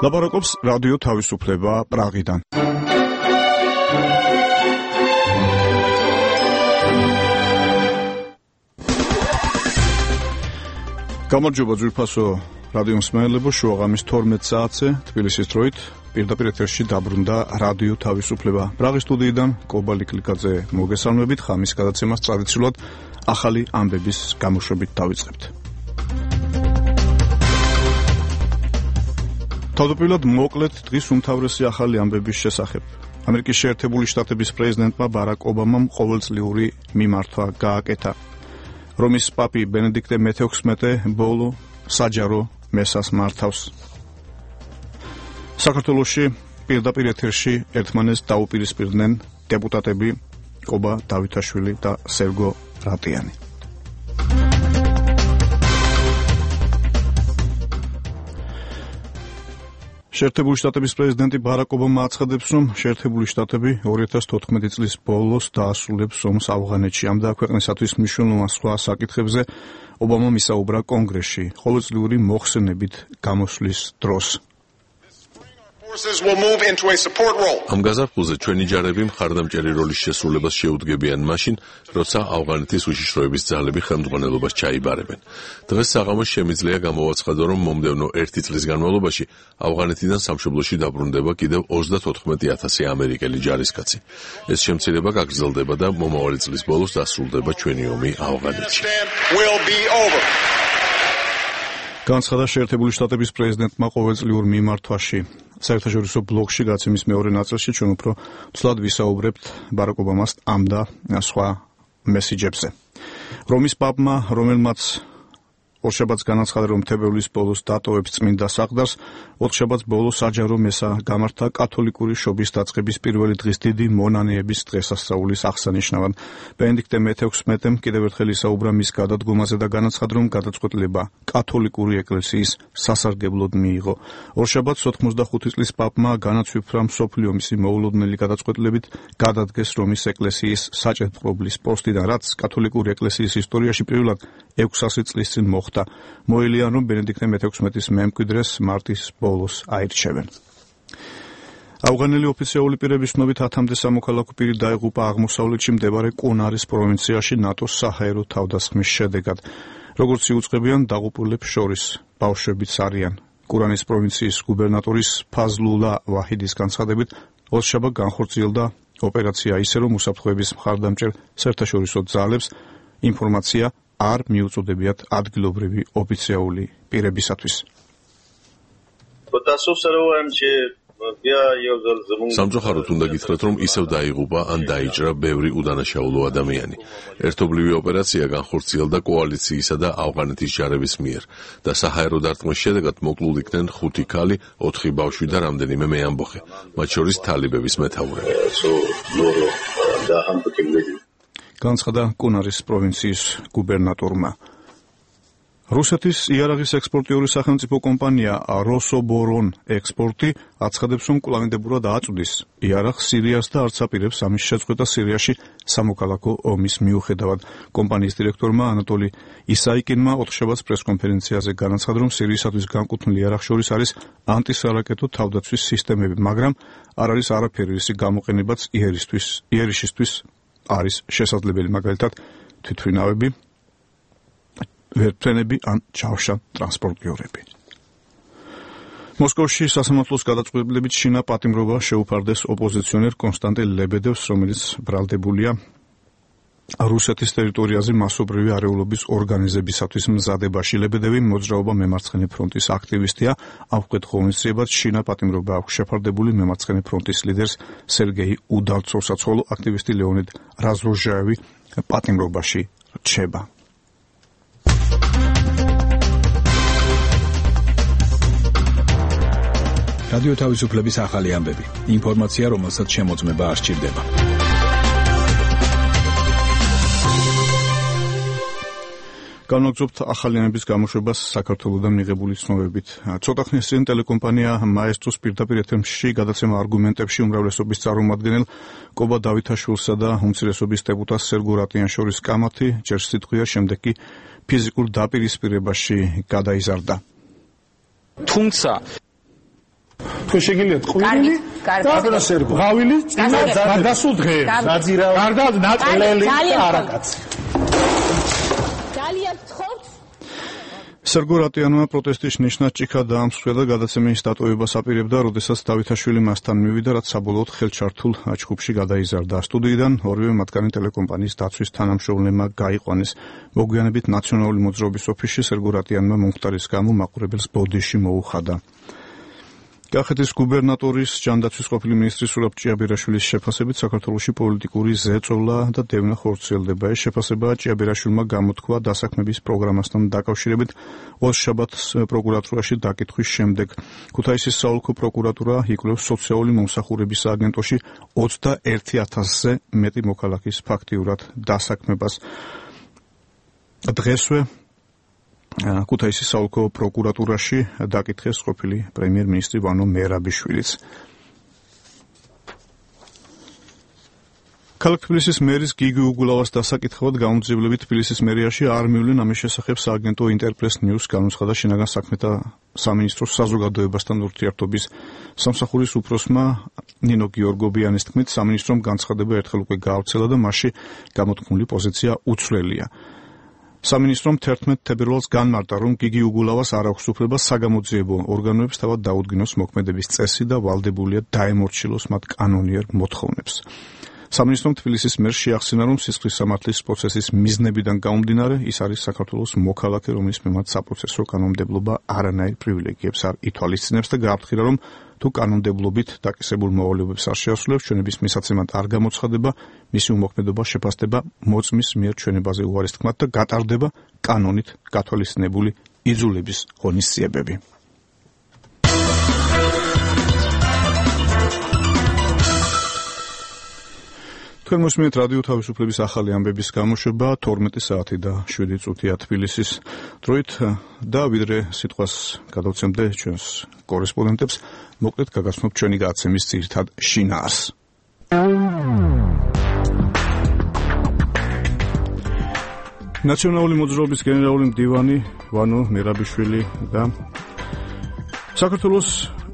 ლაპარაკობს რადიო თავისუფლება პრაღიდან. გამარჯობა ძვირფასო რადიო მსმენელებო, შუაღამის 12 საათზე თბილისის დროით პირდაპირ ეთერში დაბრუნდა რადიო თავისუფლება პრაღის სტუდიიდან კობალი კლიკაძე მოგესალმებით. ხამის გადაცემას ტრადიციულად ახალი ამბების გამოშვებით დავიწყებთ. თავდაპირველად მოკლედ დღის უმთავრესი ახალი ამბების შესახებ. ამერიკის შეერთებული შტატების პრეზიდენტმა ბარაკ ობამამ ყოველწლიური მიმართვა გააკეთა. რომის პაპი ბენედიქტე მე-16 ბოლო საჯარო მესას მართავს. საქართველოში პირდაპირ ეთერში ერთმანეთს დაუპირისპირდნენ დეპუტატები კობა დავითაშვილი და სერგო რატიანი. შეერთებული შტატების პრეზიდენტი ბარაკ ობამა აცხადებს, რომ შეერთებული შტატები 2014 წლის ბოლოს დაასრულებს ომს ავღანეთში. ამ და ქვეყნისათვის მნიშვნელოვან სხვა საკითხებზე ობამამ ისაუბრა კონგრესში ყოველწლიური მოხსენებით გამოსვლის დროს. ამ გაზაფხულზე ჩვენი ჯარები მხარდამჭერი როლის შესრულებას შეუდგებიან მაშინ, როცა ავღანეთის უშიშროების ძალები ხელმძღვანელობას ჩაიბარებენ. დღეს საღამოს შემიძლია გამოვაცხადო, რომ მომდევნო 1 წლის განმავლობაში ავღანეთიდან სამშობლოში დაბრუნდება კიდევ 34,000 ამერიკელი ჯარისკაცი. ეს შემცირება გაგრძელდება და მომავალი წლის ბოლოს დასრულდება ჩვენი ომი ავღანეთში. განცხადა შეერთებული შტატების პრეზიდენტმა ყოველწლიურ მიმართვაში. საერთაშორისო ბლოგში გაცემის მეორე ნაწილში ჩვენ უფრო ცვლად ვისაუბრებთ ბარაკ ობამას ამ და სხვა მესიჯებზე. რომის პაპმა, რომელმაც ორშაბათს განაცხადა, რომ თებერვლის ბოლოს დატოვებს წმინდა საყდარს, ოთხშაბათს ბოლოს საჯარო მესა გამართა კათოლიკური შობის დაწყების პირველი დღის დიდი მონანიების დღესასწაულის აღსანიშნავად. ბენედიქტე მე-16 კიდევ ერთხელ ისაუბრა მის გადადგომაზე და განაცხადა, რომ გადაწყვეტილება კათოლიკური ეკლესიის სასარგებლოდ მიიღო. ორშაბათს 85 წლის პაპმა განაცვიფრა მსოფლიო მისი მოულოდნელი გადაწყვეტილებით გადადგეს რომის ეკლესიის საჭედპყრობლის პოსტიდან, რაც კათოლიკური ეკლესიის ისტორიაში პირველად 600 წლის წინ მოხდა. მოელიან, რომ ბენედიქტე მე-16-ის მემკვიდრეს მარტის ბოლოს აირჩევენ. ავღანელი ოფიციალური პირების ცნობით 10-მდე სამოქალაქო პირი დაიღუპა აღმოსავლეთში მდებარე კუნარის პროვინციაში ნატოს საჰაერო თავდასხმის შედეგად. როგორც იუწყებიან, დაღუპულებს შორის ბავშვებიც არიან. კურანის პროვინციის გუბერნატორის ფაზლულა ვაჰიდის განცხადებით, ორშაბათს განხორციელდა ოპერაცია ისე, რომ უსაფრთხოების მხარდამჭერ საერთაშორისო ძალებს ინფორმაცია არ მიუწოდებიათ ადგილობრივი ოფიციალური პირებისათვის. სამწუხაროდ უნდა გითხრათ, რომ ისევ დაიღუპა ან დაიჭრა ბევრი უდანაშაულო ადამიანი. ერთობლივი ოპერაცია განხორციელდა კოალიციისა და ავღანეთის ჯარების მიერ და საჰაერო დარტყმის შედეგად მოკლულ იქნენ 5 ქალი, 4 ბავშვი და რამდენიმე მეამბოხე, მათ შორის თალიბების მეთაურები. განცხადა კუნარის პროვინციის გუბერნატორმა. რუსეთის იარაღის ექსპორტიული სახელმწიფო კომპანია როსობორონ ექსპორტი აცხადებს, რომ კვლავინდებურად აწვდის იარაღს სირიას და არც აპირებს ამის შეწყვეტა სირიაში სამოქალაქო ომის მიუხედავად. კომპანიის დირექტორმა ანატოლი ისაიკინმა ოთხშაბათს პრესკონფერენციაზე განაცხადა, რომ სირიისათვის განკუთვნილი იარაღს შორის არის ანტისარაკეტო თავდაცვის სისტემები, მაგრამ არ არის არაფერი ისი გამოყენებაც იერიშისთვის არის შესაძლებელი, მაგალითად თვითმფრინავები, ვერტმფრენები ან ჯავშან ტრანსპორტიორები. მოსკოვში სასამართლოს გადაწყვეტილებით შინა პატიმრობა შეუფარდეს ოპოზიციონერ კონსტანტინ ლებედევს, რომელიც ბრალდებულია რუსეთის ტერიტორიაზე მასობრივი არეულობის ორგანიზებისათვის მზადებაში. ლებედევი მოძრაობა მემარცხენე ფრონტის აქტივისტია. ამხმეთ ღონისძიებად შინა პატიმრობა აქვს შეფარდებული მემარცხენე ფრონტის ლიდერს სერგეი უდალცოვსაც, ხოლო აქტივისტი ლეონიდ რაზროჟაევი პატიმრობაში რჩება. რადიო თავისუფლების ახალი ამბები. ინფორმაცია, რომელსაც შემოწმება არ სჭირდება. განვაგრძობთ ახალიანების გამოშვებას საქართველოდან მიღებული ცნობებით. ცოტა ხნის წინ ტელეკომპანია მაესტროს პირდაპირ ეთერში გადაცემა არგუმენტებში უმრავლესობის წარმომადგენელ კობა დავითაშვილსა და უმცირესობის დეპუტატ სერგო რატიანს შორის კამათი ჯერ სიტყვია, შემდეგ კი ფიზიკურ დაპირისპირებაში გადაიზარდა. თუმცა თქვენ შეგიძლიათ ყვირილი და სერგო ღავილი წინა გადასულ დღეებს დაძირა გარდა ნაკლელი და არაკაცი ძალიან ცხოვრობს სერგო რატიანმა პროტესტის ნიშნად ჭიქა დაამსხვრია და გადაცემის დატოვებას აპირებდა, როდესაც დავითაშვილი მასთან მივიდა, რაც საბოლოოდ ხელჩართულ ჯგუფში გადაიზარდა. სტუდიიდან ორივე მათგანი ტელეკომპანიის დაცვის თანამშრომლებმა გაიყვანეს. მოგვიანებით ნაციონალური მოძრაობის ოფისში სერგო რატიანმა მომხდარის გამო მაყურებელს ბოდიში მოუხადა. კახეთის გუბერნატორის ჯანდაცვის ყოფილი მინისტრის სურაბ ჭიაბერაშვილის შეფასებით საქართველოში პოლიტიკური ზეწოლა და დევნა ხორციელდება. ეს შეფასება ჭიაბერაშვილმა გამოთქვა დასაქმების პროგრამასთან დაკავშირებით ოსშაბათს პროკურატურაში დაკითხვის შემდეგ. ქუთაისის საოლქო პროკურატურა იკვლევს სოციალური მომსახურების სააგენტოში 21,000-ზე მეტი მოქალაქის ფაქტიურად დასაქმებას. დღესვე ქუთაისის საოლქო პროკურატურაში დაკითხეს ყოფილი პრემიერ-მინისტრი ვანო მერაბიშვილიც. ქალაქ თბილისის მერის გიგი უგულავას დასაკითხავად გამომძიებლები თბილისის მერიაში არ მივლენ ამის შესახებ სააგენტო ინტერპრეს ნიუს განუცხადა შინაგან საქმეთა სამინისტროს საზოგადოებასთან ურთიერთობის სამსახურის უფროსმა ნინო გიორგობიანის თქმით, სამინისტრომ განცხადება ერთხელ უკვე გაავრცელა და მასში გამოთქმული პოზიცია უცვლელია. სამინისტრომ 11 თებერვალს განმარტა, რომ გიგი უგულავას არ აქვს უფლება საგამოძიებო ორგანოებს თავად დაუდგინოს მოქმედების წესი და ვალდებულია დაემორჩილოს მათ კანონიერ მოთხოვნებს. სამინისტრომ თბილისის მერს შეახსენა, რომ სისხლის სამართლის პროცესის მიზნებიდან გამომდინარე, ის არის საქართველოს მოქალაქე, რომლის მიმართ საპროცესო კანონმდებლობა არანაირ პრივილეგიებს არ ითვალისწინებს და გააფრთხილა, რომ თუ კანონმდებლობით დაკისებულ მოვალეობებს არ შეასრულებს, ჩვენების მისაცემად არ გამოცხადება, მისი უმოქმედობა შეფასდება მოწმის მიერ ჩვენებაზე უარის თქმად და გატარდება კანონით გათვალისწინებული იძულების ღონისძიებები. თქვენ მოსმენთ რადიო თავისუფლების ახალი ამბების გამოშვება 12 საათი და 7 წუთია თბილისის დროით და ვიდრე სიტყვას გადავცემდე ჩვენს კორესპონდენტებს, მოკლედ გაგაცნობ ჩვენი გადაცემის ძირითად შინაარს. ნაციონალური მოძრაობის გენერალური მდივანი ვანო მერაბიშვილი და საქართველოს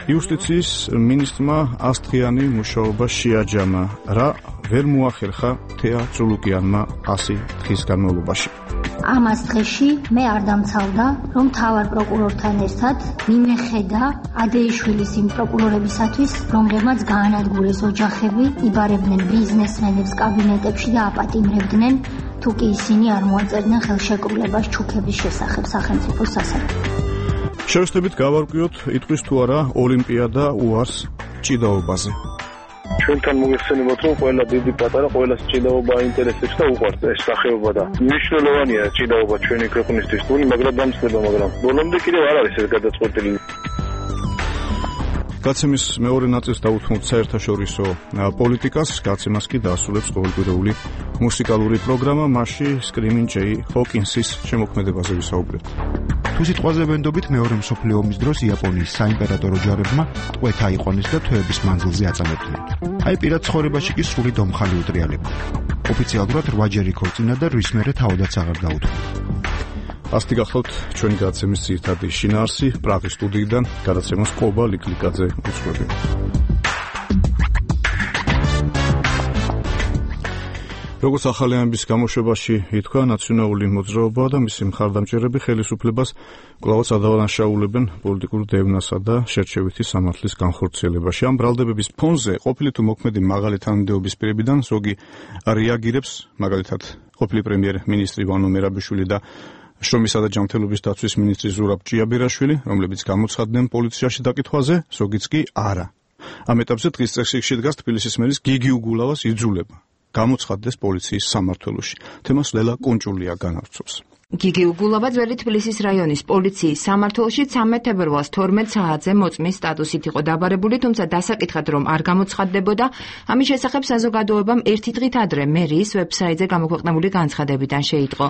იუსტიციის მინისტრმა ასთხიანი მუშაობა შეაჯამა, რა ვერ მოახერხა თეა წულუკიანმა 100 დღის განმავლობაში. ამას დღეში მე არ დამცავდა, რომ თავარ პროკურორთან ერთად მიმეხედა ადეიშვილის იმ პროკურორებისათვის, რომლებმაც გაანადგურეს ოჯახები, იბარებდნენ ბიზნესმენებს კაბინეტებში და აპატიმრებდნენ, თუ კი ისინი არ მოაწერდნენ ხელშეკრულებას ჩუქების შესახებ სახელმწიფო სასამართლოში. შევსწრებით გავარკვიოთ, იტყვის თუ არა ოლიმპიადა უარს ჭიდაობაზე. ჩვენთან მოგეხსენებათ, რომ ყველა დიდი პატარა ყველას ჭიდაობა აინტერესებს და უყვარს ეს სახეობა და მნიშვნელოვანია ჭიდაობა ჩვენი ქვეყნისთვის, თუნი მაგრამ დამცდება, მაგრამ ბოლომდე კიდევ არ არის ეს გადაწყვეტილი. გაცემის მეორე ნაწილს დაუთმობთ საერთაშორისო პოლიტიკას, გაცემას კი დაასრულებს ყოველკვირეული მუსიკალური პროგრამა, მასში სკრიმინ ჯეი ჰოკინსის შემოქმედებაზე ვისაუბრებთ. თუ სიტყვაზე ვენდობით მეორე მსოფლიო ომის დროს იაპონიის საიმპერატორო ჯარებმა ტყვეთა აიყვანეს და თვეების მანძილზე აწამებდნენ. აი პირად ცხოვრებაში კი სრული დომხალი უტრიალებდა. ოფიციალურად 8 ჯერ იქორწინა და რის მერე თავადაც აღარ დაუთმო. ასეთი გახლავთ ჩვენი გადაცემის ძირითადი შინაარსი პრაღის სტუდიიდან გადაცემას ყობა ლიკლიკაძე უძღვები. როგორც ახალი ამბის გამოშვებაში ითქვა, ნაციონალური მოძრაობა და მისი მხარდამჭერები ხელისუფლებას კვლავაც ადანაშაულებენ პოლიტიკურ დევნასა და შერჩევითი სამართლის განხორციელებაში. ამ ბრალდებების ფონზე ყოფილი თუ მოქმედი მაღალი თანამდებობის პირებიდან ზოგი რეაგირებს, მაგალითად ყოფილი პრემიერ-მინისტრი ვანო მერაბიშვილი და შრომისა და ჯანმრთელობის დაცვის მინისტრი ზურაბ ჭიაბერაშვილი, რომლებიც გამოცხადდნენ პოლიციაში დაკითხვაზე, ზოგიც კი არა. ამ ეტაპზე დღის წესრიგში დგას თბილისის მერის გიგი უგულავას იძულება გამოცხადდეს პოლიციის სამმართველოში. თემას ლელა კუნჭულია განავრცობს. გიგი უგულავა ძველი თბილისის რაიონის პოლიციის სამმართველოში 13 თებერვალს 12 საათზე მოწმის სტატუსით იყო დაბარებული, თუმცა დასაკითხად რომ არ გამოცხადდებოდა, ამის შესახებ საზოგადოებამ ერთი დღით ადრე მერიის ვებსაიტზე გამოქვეყნებული განცხადებიდან შეიტყო.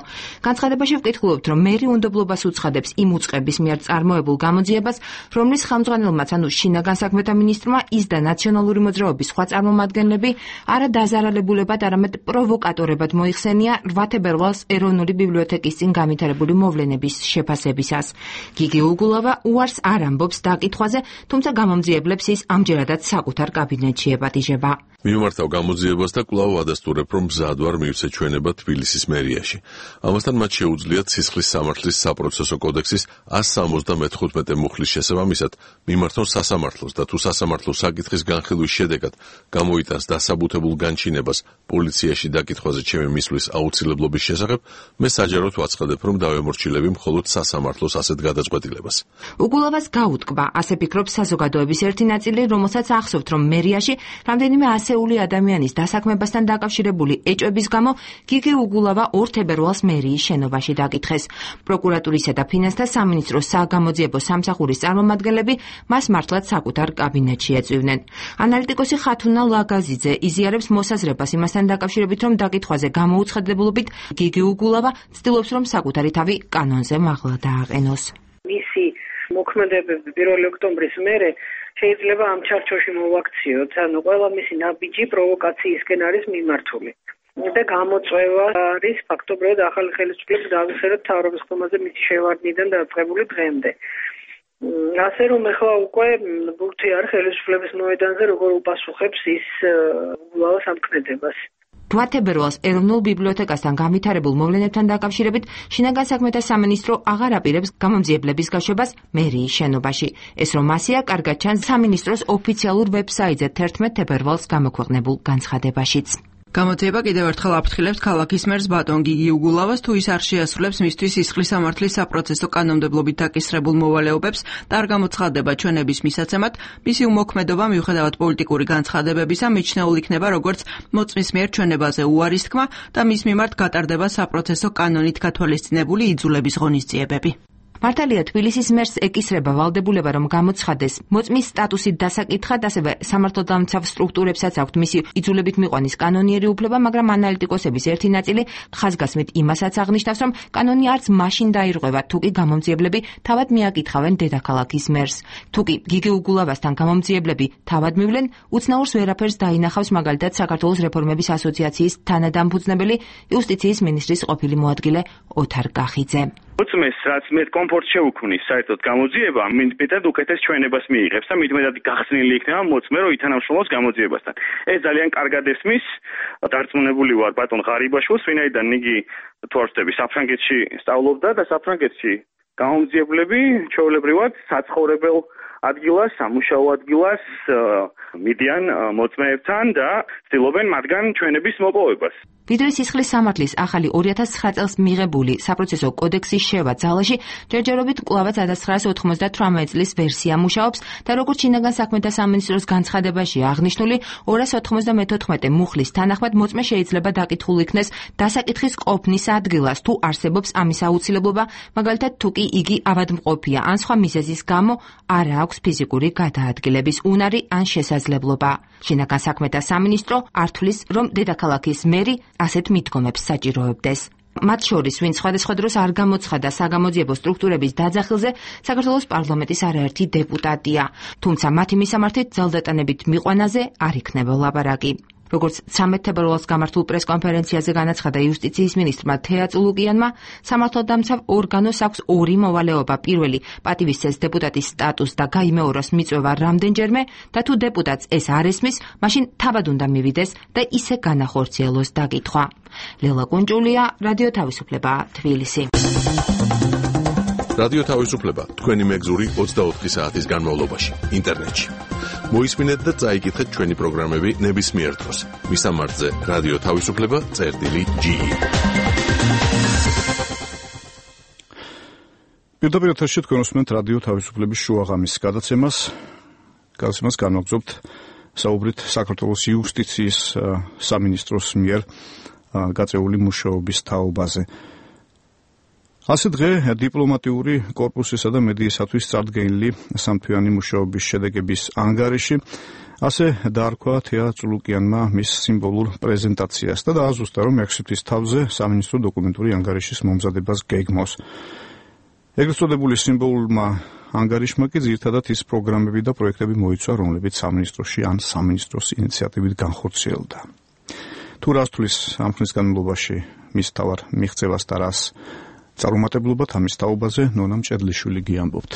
განცხადებაში ვკითხულობთ, რომ მერი უნდობლობას უცხადებს იმ უწყების მიერ წარმოებულ გამოძიებას, რომლის ხელმძღვანელმაც, ანუ შინაგან საქმეთა მინისტრმა ის და ნაციონალური მოძრაობის სხვა წარმომადგენლები არა დაზარალებულებად, არამედ პროვოკატორებად მოიხსენია 8 თებერვალს ეროვნული ბიბლიოთეკის წინ წინ განვითარებული მოვლენების შეფასებისას. გიგი უგულავა უარს არ ამბობს დაკითხვაზე, თუმცა გამომძიებლებს ის ამჯერადაც საკუთარ კაბინეტში ეპატიჟება. მიმართავ გამოძიებას და კვლავ ადასტურებ, რომ მზად ვარ მივცე ჩვენება თბილისის მერიაში. ამასთან მათ შეუძლიათ სისხლის სამართლის საპროცესო კოდექსის 175 მუხლის შესაბამისად მიმართონ სასამართლოს და თუ სასამართლო საკითხის განხილვის შედეგად გამოიტანს დასაბუთებულ განჩინებას პოლიციაში დაკითხვაზე ჩემი მისვლის აუცილებლობის შესახებ, მე საჯაროდ ვაცხადებ, რომ დავემორჩილები მხოლოდ სასამართლოს ასეთ გადაწყვეტილებას. უგულავას გაუტკბა, ასე ფიქრობს საზოგადოების ერთი ნაწილი, რომელსაც ახსოვთ, რომ მერიაში რამდენიმე ასეული ადამიანის დასაქმებასთან დაკავშირებული ეჭვების გამო გიგი უგულავა 2 თებერვალს მერიის შენობაში დაკითხეს. პროკურატურისა და ფინანსთა სამინისტროს საგამოძიებო სამსახურის წარმომადგენლები მას მართლაც საკუთარ კაბინეტში ეწვივნენ. ანალიტიკოსი ხათუნა ლაგაზიძე იზიარებს მოსაზრებას იმასთან დაკავშირებით, რომ დაკითხვაზე გამოუცხადებულობით გიგი უგულავა ცდილობს, რომ საკუთარი თავი კანონზე მაღლა დააყენოს. მისი მოქმედებები 1 ოქტომბრის მერე შეიძლება ამ ჩარჩოში მოვაქციოთ, ანუ ყველა მისი ნაბიჯი პროვოკაციისკენ არის მიმართული. და გამოწვევა არის ფაქტობრივად ახალი ხელისუფლების დაავსეროთ თავრობის ხომაზე მისი შევარდნიდან დაწყებული დღემდე. ასე რომ ახლა უკვე ბურთი არ ხელისუფლების მოედანზე როგორ უპასუხებს ის უგულავას ამქმედებას. 8 თებერვალს ეროვნულ ბიბლიოთეკასთან განვითარებულ მოვლენებთან დაკავშირებით შინაგან საქმეთა სამინისტრო აღარ აპირებს გამომძიებლების გაშვებას მერიის შენობაში. ეს რომ ასეა, კარგად ჩანს სამინისტროს ოფიციალურ ვებსაიტზე 11 თებერვალს გამოქვეყნებულ განცხადებაშიც. გამოძიება კიდევ ერთხელ აფრთხილებთ ქალაქის მერს ბატონ გიგი უგულავას, თუ ის არ შეასრულებს მისთვის სისხლის სამართლის საპროცესო კანონმდებლობით დაკისრებულ მოვალეობებს და არ გამოცხადდება ჩვენების მისაცემად, მისი უმოქმედობა მიუხედავად პოლიტიკური განცხადებებისა მიჩნეულ იქნება როგორც მოწმის მიერ ჩვენებაზე უარის თქმა და მის მიმართ გატარდება საპროცესო კანონით გათვალისწინებული იძულების ღონისძიებები. მართალია თბილისის მერს ეკისრება ვალდებულება, რომ გამოცხადეს მოწმის სტატუსით დასაკითხად, ასევე სამართალდამცავ სტრუქტურებსაც აქვთ მისი იძულებით მიყვანის კანონიერი უფლება, მაგრამ ანალიტიკოსების ერთი ნაწილი ხაზგასმით იმასაც აღნიშნავს, რომ კანონი არც მაშინ დაირღვევა, თუ კი გამომძიებლები თავად მიაკითხავენ დედაქალაქის მერს. თუ კი გიგი უგულავასთან გამომძიებლები თავად მივლენ, უცნაურს ვერაფერს დაინახავს მაგალითად საქართველოს რეფორმების ასოციაციის თანადამფუძნებელი იუსტიციის მინისტრის ყოფილი მოადგილე ოთარ კახიძე. მოწმეს, რაც მე კომფორტ შეუქმნის საერთოდ გამოძიება, მეტად უკეთეს ჩვენებას მიიღებს და მეტად გახსნილი იქნება მოწმე, რომ ითანამშრომლოს გამოძიებასთან. ეს ძალიან კარგად ესმის. დარწმუნებული ვარ ბატონ ღარიბაშვილს, ვინაიდან იგი თუ არ ვწდები საფრანგეთში სწავლობდა და საფრანგეთში გამომძიებლები ჩვეულებრივად საცხოვრებელ ადგილას, სამუშაო ადგილას მიდიან მოწმეებთან და ცდილობენ მათგან ჩვენების მოპოვებას. ვიდრე სისხლის სამართლის ახალი 2009 წელს მიღებული საპროცესო კოდექსის შევა ძალაში, ჯერჯერობით კვლავაც 1998 წლის ვერსია მუშაობს და როგორც შინაგან საქმეთა სამინისტროს განცხადებაში აღნიშნული 294 მუხლის თანახმად მოწმე შეიძლება დაკითხულ იქნეს დასაკითხის ყოფნის ადგილას, თუ არსებობს ამის აუცილებლობა, მაგალითად თუ კი იგი ავადმყოფია ან სხვა მიზეზის გამო არ აქვს ფიზიკური გადაადგილების უნარი ან შესაძლებლობა. შინაგან საქმეთა სამინისტრო არ თვლის, რომ დედაქალაქის მერი ასეთ მიდგომებს საჭიროებდეს. მათ შორის, ვინც სხვადასხვა დროს არ გამოცხადა საგამოძიებო სტრუქტურების დაძახილზე, საქართველოს პარლამენტის არაერთი დეპუტატია, თუმცა მათი მისამართით ძალდატანებით მიყვანაზე არ იქნება ლაპარაკი. როგორც 13 თებერვალს გამართულ პრესკონფერენციაზე განაცხადა იუსტიციის მინისტრმა თეა წულუკიანმა, სამართალდამცავ ორგანოს აქვს ორი მოვალეობა. პირველი, პატივისცეს დეპუტატის სტატუსს და გაიმეოროს მიწვევა რამდენჯერმე და თუ დეპუტატს ეს არ ესმის, მაშინ თავად უნდა მივიდეს და ისე განახორციელოს დაკითხვა. ლელა კუნჭულია, რადიო თავისუფლება, თბილისი. რადიო თავისუფლება, თქვენი მეგზური 24 საათის განმავლობაში, ინტერნეტში. მოისმინეთ და წაიკითხეთ ჩვენი პროგრამები ნებისმიერ დროს. მისამართზე რადიო თავისუფლება.ge. პირდაპირ ეთერში თქვენ უსმენთ რადიო თავისუფლების შუაღამის გადაცემას განვაგრძობთ საუბრით საქართველოს იუსტიციის სამინისტროს მიერ გაწეული მუშაობის თაობაზე. ასე დღე დიპლომატიური კორპუსისა და მედიისათვის წარდგენილი სამთვიანი მუშაობის შედეგების ანგარიში ასე დაარქვა თეა წულუკიანმა მის სიმბოლურ პრეზენტაციას და დააზუსტა, რომ 6 თვის თავზე სამინისტრო დოკუმენტური ანგარიშის მომზადებას გეგმავს. ეგრეთ წოდებული სიმბოლურმა ანგარიშმა კი ძირითადად ის პროგრამები და პროექტები მოიცვა, რომლებიც სამინისტროში ან სამინისტროს ინიციატივით განხორციელდა. თუ რას თulis ამ ხნის განმავლობაში მის თავარ მიღწევას და რას წარუმატებლობად ამის თაობაზე ნონა მჭედლიშვილი გიამბობთ.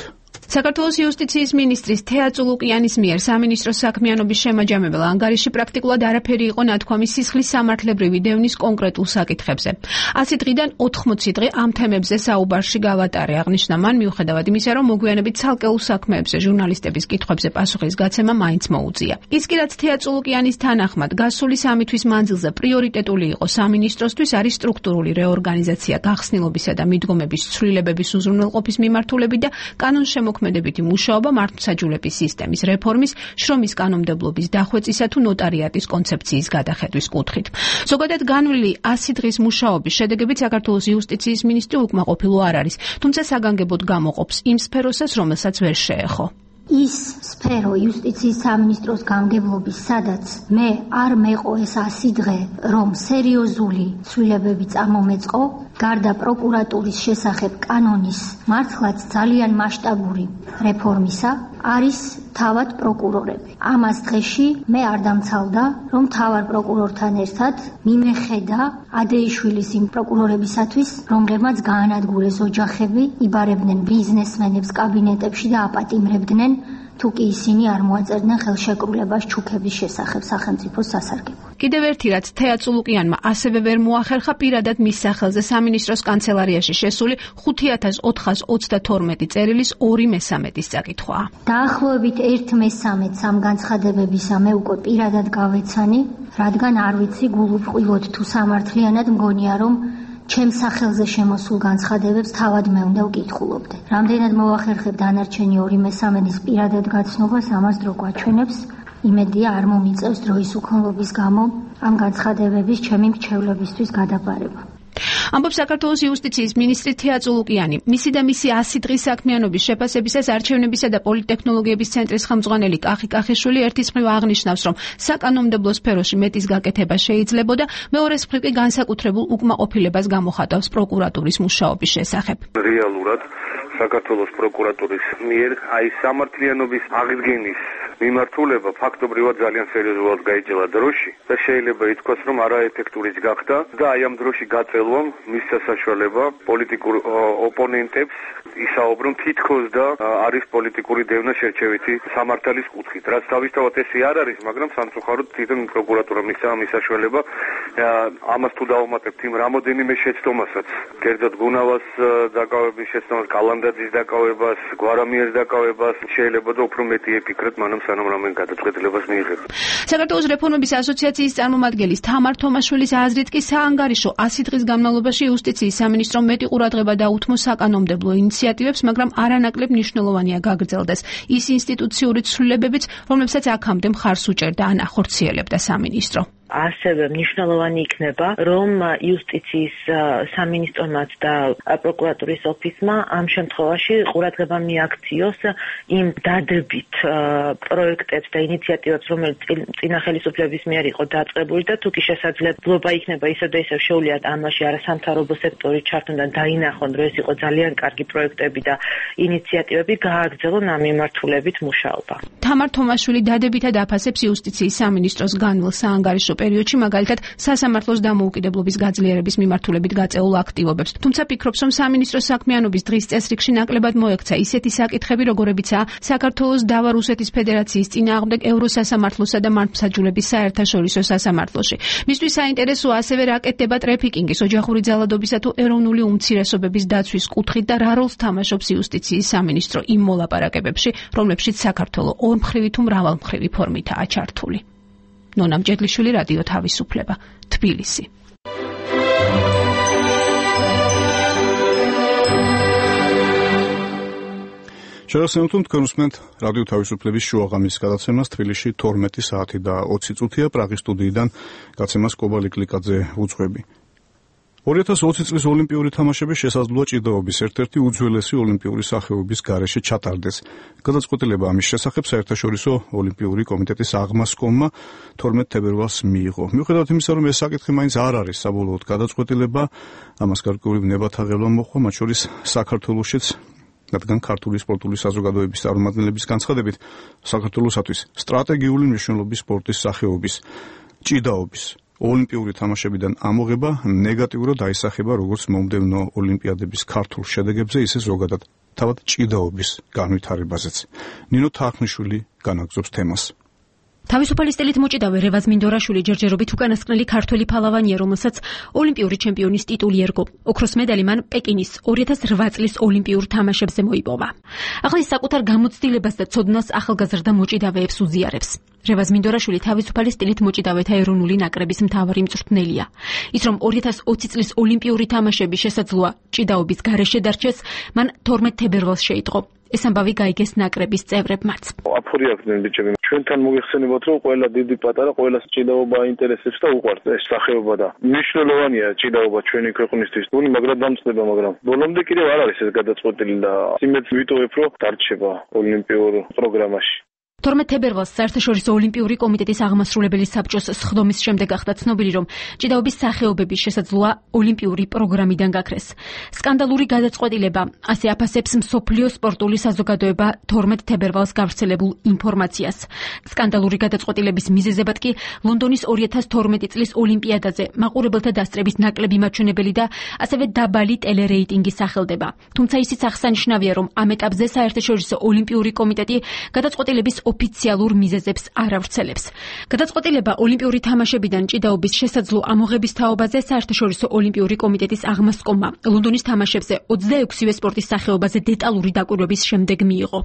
საქართველოს იუსტიციის მინისტრის თეა წულუკიანის მიერ სამინისტროს საქმიანობის შემაჯამებელ ანგარიში პრაქტიკულად არაფერი იყო ნათქვამი სისხლის სამართლებრივი დევნის კონკრეტულ საკითხებზე. 100 დღიდან 80 დღე ამ თემებზე საუბარში გავატარე, აღნიშნა მან, მიუხედავად იმისა, რომ მოგვიანებით ცალკეულ საქმეებზე ჟურნალისტების კითხვებზე პასუხის გაცემა მაინც მოუწია. ის კი რაც თეა წულუკიანის თანახმად გასული 3 თვის მანძილზე პრიორიტეტული იყო სამინისტროსთვის არის სტრუქტურული რეორგანიზაცია, გახსნილობისა და მიდგომების ცვლილებების უზრუნველყოფის მიმართულებით და კანონშემოქმედებითი მუშაობა მართლმსაჯულების სისტემის რეფორმის, შრომის კანონმდებლობის დახვეწისა თუ ნოტარიატის კონცეფციის გადახედვის კუთხით. ზოგადად განვლილი 100 დღის მუშაობის შედეგებით საქართველოს იუსტიციის მინისტრი უკმაყოფილო არ არის, თუმცა საგანგებოდ გამოყოფს იმ სფეროსაც, რომელსაც ვერ შეეხო. ის სფერო იუსტიციის სამინისტროს გამგებლობის, სადაც მე არ მეყო ეს 100 დღე, რომ სერიოზული ცვლილებები წარმომეწყო, გარდა პროკურატურის შესახებ კანონის მართლაც ძალიან მასშტაბური რეფორმისა, არის თავად პროკურორები. ამას დღეში მე არ დამცალდა, რომ თავად პროკურორთან ერთად მიმეხედა ადეიშვილის იმ პროკურორებისათვის, რომლებმაც გაანადგურეს ოჯახები, იბარებდნენ ბიზნესმენებს კაბინეტებში და აპატიმრებდნენ, თუ კი ისინი არ მოაწერდნენ ხელშეკრულებას ჩუქების შესახებ სახელმწიფოს სასარგებლოდ. კიდევ ერთი რაც თეა წულუკიანმა ასევე ვერ მოახერხა პირადად მის სახელზე სამინისტროს კანცელარიაში შესული 5422 წერილის 2/3 წაკითხვაა. დაახლოებით 1/3 ამ განცხადებებისა მე უკვე პირადად გავეცანი, რადგან არ ვიცი გულუბრყვილოდ თუ სამართლიანად მგონია, რომ ჩემს სახელზე შემოსულ განცხადებებს თავად მე უნდა ვკითხულობდე. რამდენად მოახერხებ დანარჩენი 2/3 პირადად გაცნობას, ამას დრო გვაჩვენებს. იმედია არ მომიწევს დროის უქონლობის გამო ამ განცხადებების ჩემი მრჩევლებისთვის გადაბარება. ამბობს საქართველოს იუსტიციის მინისტრი თეა წულუკიანი. მისი და მისი 100 დღის საქმიანობის შეფასებისას არჩევნებისა და პოლიტექნოლოგიების ცენტრის ხელმძღვანელი კახი კახიშვილი ერთის მხრივ აღნიშნავს, რომ საკანონმდებლო სფეროში მეტის გაკეთება შეიძლებოდა, მეორეს მხრივ კი განსაკუთრებულ უკმაყოფილებას გამოხატავს პროკურატურის მუშაობის შესახებ. რეალურად საქართველოს პროკურატურის მიერ აი სამართლიანობის აღდგენის მიმართულება ფაქტობრივად ძალიან სერიოზულად გაიჭრა დროში და შეიძლება ითქვას, რომ არაეფექტურიც გახდა და აი ამ დროში გაწელვამ მისცა საშუალება პოლიტიკურ ოპონენტებს ისაუბრონ თითქოს და არის პოლიტიკური დევნა შერჩევითი სამართლის კუთხით. რაც თავისთავად ესე არ არის, მაგრამ სამწუხაროდ თვითონ პროკურატურა მისცა ამ საშუალება ამას თუ დავუმატებთ იმ რამოდენიმე შეცდომასაც, კერძოდ გუნავას დაკავების შეცდომას, კალანდაძის დაკავებას, გვარამიers დაკავებას, შეიძლება და უფრო მეტი ეფიქრეთ მანამ სანამ რამენ გადაწყვეტილებას მიიღებთ. საქართველოს რეფორმების ასოციაციის წარმომადგენლის თამარ თომაშვილის აზრით კი საანგარიშო 100 დღის განმავლობაში იუსტიციის სამინისტრომ მეტი ყურადღება დაუთმო საკანონმდებლო ინიციატივებს, მაგრამ არანაკლებ მნიშვნელოვანია გაგრძელდეს ის ინსტიტუციური ცვლილებებიც, რომლებსაც აქამდე მხარს უჭერდა ან ახორციელებდა სამინისტრო. ასევე მნიშვნელოვანი იქნება, რომ იუსტიციის სამინისტრომაც და პროკურატურის ოფისმა ამ შემთხვევაში ყურადღება მიაქციოს იმ დადებით პროექტებს და ინიციატივებს, რომელიც წინა ხელისუფლების მიერ იყო დაწყებული და თუ კი შესაძლებლობა იქნება ისევ და ისევ შეუვლიათ ამაში არასამთავრობო სექტორი ჩართონ და დაინახონ, რომ ეს იყო ძალიან კარგი პროექტები და ინიციატივები, გააგრძელონ ამ მიმართულებით მუშაობა. თამარ თომაშვილი დადებითად აფასებს იუსტიციის სამინისტროს განვლილ საანგარიშო პერიოდში, მაგალითად სასამართლოს დამოუკიდებლობის გაძლიერების მიმართულებით გაწეულ აქტივობებს. თუმცა ფიქრობს, რომ სამინისტროს საქმიანობის დღის წესრიგში ნაკლებად მოექცა ისეთი საკითხები, როგორებიცაა საქართველოს დავა რუსეთის ფედერაციის წინააღმდეგ ევროსასამართლოსა და მართლმსაჯულების საერთაშორისო სასამართლოში. მისთვის საინტერესოა ასევე რა კეთდება ტრეფიკინგის, ოჯახური ძალადობისა თუ ეროვნული უმცირესობების დაცვის კუთხით და რა როლს თამაშობს იუსტიციის სამინისტრო იმ მოლაპარაკებებში, რომლებშიც საქართველო ორმხრივი თუ მრავალმხრივი ფორმითაა ჩართული. ნონა მჭედლიშვილი, რადიო თავისუფლება, თბილისი. შეგახსენებთ, თქვენ უსმენთ რადიო თავისუფლების შუაღამის გადაცემას თბილისში 12 საათი და 20 წუთია, პრაღის სტუდიიდან გაცემას კობალი კლიკაძე უძღვები. 2020 წლის ოლიმპიური თამაშების შესაძლოა ჭიდაობის ერთ-ერთი უძველესი ოლიმპიური სახეობის გარეშე ჩატარდეს. გადაწყვეტილება ამის შესახებ საერთაშორისო ოლიმპიური კომიტეტის აღმასკომმა 12 თებერვალს მიიღო. მიუხედავად იმისა, რომ ეს საკითხი მაინც არ არის საბოლოოდ გადაწყვეტილება, ამას გარკვეული ნებათა ღელვა მოჰყვა, მათ შორის საქართველოშიც, რადგან ქართული სპორტული საზოგადოების წარმომადგენლების განცხადებით, საქართველოსათვის სტრატეგიული მნიშვნელობის სპორტის სახეობის ჭიდაობის ოლიმპიური თამაშებიდან ამოღება ნეგატიურად აისახება როგორც მომდევნო ოლიმპიადების ქართულ შედეგებზე, ისე ზოგადად თავად ჭიდაობის განვითარებაზეც. ნინო თარხნიშვილი განაგზობს თემას. თავისუფალი სტილით მოჭიდავე რევაზ მინდორაშვილი ჯერჯერობით უკანასკნელი ქართველი ფალავანია, რომელსაც ოლიმპიური ჩემპიონის ტიტული ერგო. ოქროს მედალი მან პეკინის 2008 წლის ოლიმპიურ თამაშებზე მოიპოვა. ახლა ის საკუთარ გამოცდილებას და ცოდნას ახალგაზრდა მოჭიდავეებს უზიარებს. რევაზ მინდორაშვილი თავისუფალი სტილით მოჭიდავეთა ეროვნული ნაკრების მთავარი მწვრთნელია. ის რომ 2020 წლის ოლიმპიური თამაშების შესაძლოა ჭიდაობის გარეშე დარჩეს, მან 12 თებერვალს შეიტყო. ეს ამბავი გაიგეს ნაკრების წევრებმაც. აფური აქვს ბიჭები. ჩვენთან მოგეხსენებათ, რომ ყველა დიდი პატარა, ყველა ჭიდაობა აინტერესებს და უყვართ ეს სახეობა და მნიშვნელოვანია ჭიდაობა ჩვენი ქვეყნისთვის. თუნი მაგრამ დამწდება, მაგრამ ბოლომდე კიდევ არ არის ეს გადაწყვეტილი და იმედს ვიტოვებ, რომ დარჩება ოლიმპიურ პროგრამაში. 12 თებერვალს საერთაშორისო ოლიმპიური კომიტეტის აღმასრულებელი საბჭოს სხდომის შემდეგ გახდა ცნობილი, რომ ჭიდაობის სახეობების შესაძლოა ოლიმპიური პროგრამიდან გაქრეს. სკანდალური გადაწყვეტილება ასე აფასებს მსოფლიო სპორტული საზოგადოება 12 თებერვალს გავრცელებულ ინფორმაციას. სკანდალური გადაწყვეტილების მიზეზებად კი ლონდონის 2012 წლის ოლიმპიადაზე მაყურებელთა დასწრების ნაკლები მაჩვენებელი და ასევე დაბალი ტელერეიტინგი სახელდება. თუმცა ისიც აღსანიშნავია, რომ ამ ეტაპზე საერთაშორისო ოლიმპიური კომიტეტი გადაწყვეტილების ოფიციალურ მიზეზებს არ ავრცელებს. გადაწყვეტილება ოლიმპიური თამაშებიდან ჭიდაობის შესაძლო ამოღების თაობაზე საერთაშორისო ოლიმპიური კომიტეტის აღმასკომმა ლონდონის თამაშებზე 26-ვე სპორტის სახეობაზე დეტალური დაკვირვების შემდეგ მიიღო.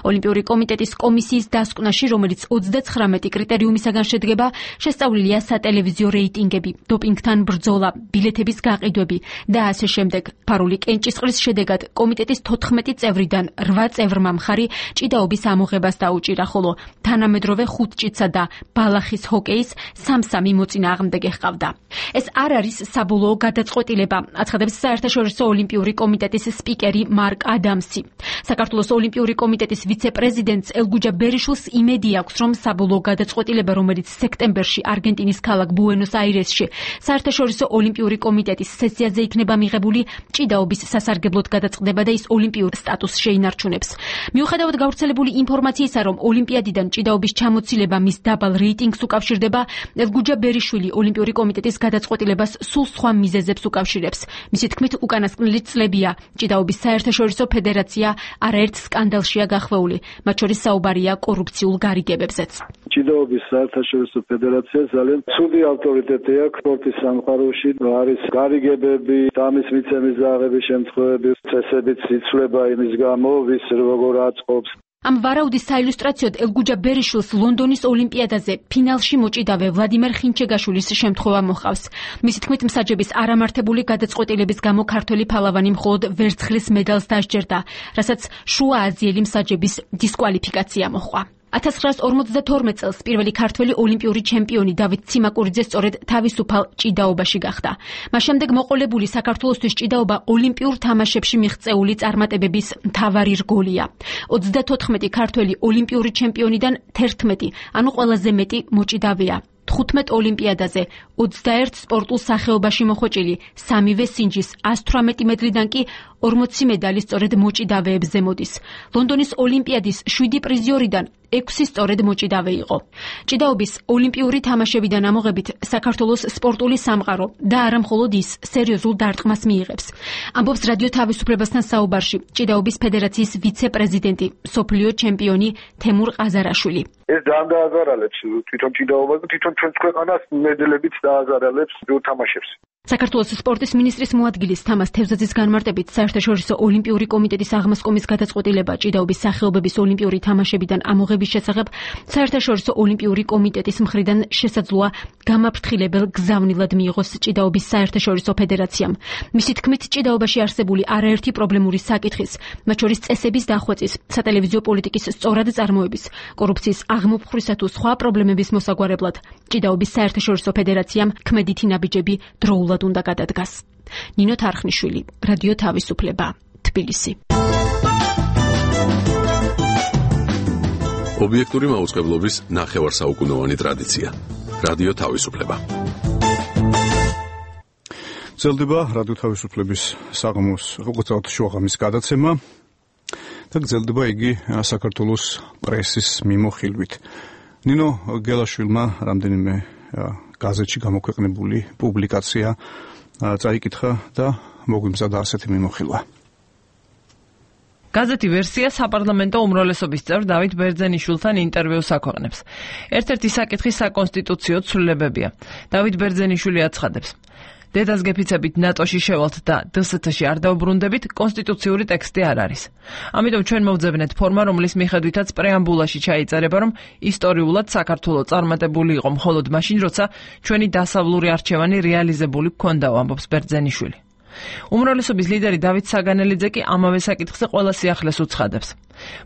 ოლიმპიური კომიტეტის კომისიის დასკვნაში, რომელიც 39 კრიტერიუმისაგან შედგება, შესწავლილია სატელევიზიო რეიტინგები, დოპინგთან ბრძოლა, ბილეთების გაყიდვები და ასე შემდეგ. ფარული კენჭისყრის შედეგად კომიტეტის 14 წევრიდან 8 წევრმა მხარი ჭიდაობის ამოღებას დაუჭირა, ხოლო თანამედროვე ხუთჭიცა და ბალახის ჰოკეის 3-3 მოწინააღმდეგე ჰყავდა. ეს არ არის საბოლოო გადაწყვეტილება, აცხადებს საერთაშორისო ოლიმპიური კომიტეტის სპიკერი მარკ ადამსი. საქართველოს ოლიმპიური კომიტეტის ვიცე-პრეზიდენტს ელგუჯა ბერიშვილს იმედი აქვს, რომ საბოლოო გადაწყვეტილება, რომელიც სექტემბერში არგენტინის ქალაქ ბუენოს-აირესში საერთაშორისო ოლიმპიური კომიტეტის სესიაზე იქნება მიღებული, ჭიდაობის სასარგებლოდ გადაწყდება და ის ოლიმპიურ სტატუსს შეინარჩუნებს. მიუხედავად გავრცელებული ინფორმაციისა, რომ ოლიმპიადიდან ჭიდაობის ჩამოცილება მის დაბალ რეიტინგს უკავშირდება, ელგუჯა ბერიშვილი ოლიმპიური კომიტეტის გადაწყვეტილებას სულ სხვა მიზეზებს უკავშირებს. მისი თქმით, უკანასკნელი წლებია ჭიდაობის საერთაშორისო ფედერაცია არაერთ სკანდალშია გახვეული, მათ შორის საუბარია კორუფციულ გარიგებებზეც. ჭიდაობის საერთაშორისო ფედერაცია ძალიან ცუდი ავტორიტეტი აქვს სპორტის სამყაროში, არის გარიგებები, ამის მიცემის და აღების შემთხვევები, წესებიც იცვლება იმის გამო, ვის როგორ აწყობს. ამ ვარაუდის საილუსტრაციოდ ელგუჯა ბერიშვილს ლონდონის ოლიმპიადაზე ფინალში მოჭიდავე ვლადიმერ ხინჩეგაშვილის შემთხვევა მოჰყავს. მისი თქმით, მსაჯების არამართებული გადაწყვეტილების გამო ქართველი ფალავანი მხოლოდ ვერცხლის მედალს დასჯერდა, რასაც შუააზიელი მსაჯების დისკვალიფიკაცია მოჰყვა. 1952 წელს პირველი ქართველი ოლიმპიური ჩემპიონი დავით ციმაკურიძე სწორედ თავისუფალ ჭიდაობაში გახდა. მას შემდეგ მოყოლებული საქართველოსთვის ჭიდაობა ოლიმპიურ თამაშებში მიღწეული წარმატებების მთავარი რგოლია. 34 ქართველი ოლიმპიური ჩემპიონიდან 11, ანუ ყველაზე მეტი მოჭიდავეა. 15 ოლიმპიადაზე 21 სპორტულ სახეობაში მოხვეჭილი 3-ვე სინჯის 118 მედლიდან კი 40 მედალი სწორედ მოჭიდავეებზე მოდის. ლონდონის ოლიმპიადის 7 პრიზიორიდან 6 სწორედ მოჭიდავე იყო. ჭიდაობის ოლიმპიური თამაშებიდან ამოღებით საქართველოს სპორტული სამყარო და არა მხოლოდ ის სერიოზულ დარტყმას მიიღებს. ამბობს რადიო თავისუფლებასთან საუბარში ჭიდაობის ფედერაციის ვიცე-პრეზიდენტი, მსოფლიო ჩემპიონი თემურ ყაზარაშვილი. ეს ძალიან დააზარალებს თვითონ ჭიდაობას და თვითონ ჩვენს ქვეყანას მედლებით დააზარალებს თამაშებს. საქართველოს სპორტის მინისტრის მოადგილის თამაზ თევზაძის განმარტებით საერთაშორისო ოლიმპიური კომიტეტის აღმასკომის გადაწყვეტილება ჭიდაობის სახეობების ოლიმპიური თამაშებიდან ამოღების შესახებ საერთაშორისო ოლიმპიური კომიტეტის მხრიდან შესაძლოა გამაფრთხილებელ გზავნილად მიიღოს ჭიდაობის საერთაშორისო ფედერაციამ. მისი თქმით, ჭიდაობაში არსებული არაერთი პრობლემური საკითხის, მათ შორის წესების დახვეწის, სატელევიზიო პოლიტიკის სწორად წარმოების, კორუფციის აღმოფხვრისა თუ სხვა პრობლემების მოსაგვარებლად ჭიდაობის საერთაშორისო ფედერაციამ ქმედითი ნაბიჯები დროულად უნდა გადადგას. ნინო თარხნიშვილი, რადიო თავისუფლება, თბილისი. ობიექტური მაუწყებლობის ნახევარსაუკუნოვანი ტრადიცია. რადიო თავისუფლება. გრძელდება რადიო თავისუფლების საღამოს უყურებთ შუაღამის გადაცემა და გრძელდება იგი საქართველოს პრესის მიმოხილვით. ნინო გელაშვილმა რამდენიმე გაზეთში გამოქვეყნებული პუბლიკაცია წაიკითხა და მოგვიმზადა ასეთი მიმოხილვა. გაზეთი ვერსია საპარლამენტო უმრავლესობის წევრ დავით ბერძენიშვილთან ინტერვიუს აქვეყნებს. ერთ-ერთი საკითხი საკონსტიტუციო ცვლილებებია. დავით ბერძენიშვილი აცხადებს: დედას გეფიცებით ნატოში შევალთ და დსთ-ში არ დაუბრუნდებით, კონსტიტუციური ტექსტი არ არის. ამიტომ ჩვენ მოვძებნეთ ფორმა, რომლის მიხედვითაც პრეამბულაში ჩაიწერება, რომ ისტორიულად საქართველო წარმატებული იყო მხოლოდ მაშინ, როცა ჩვენი დასავლური არჩევანი რეალიზებული გქონდაო, ამბობს ბერძენიშვილი. უმრავლესობის ლიდერი დავით საგანელიძე კი ამავე საკითხზე ყველა სიახლეს უცხადებს.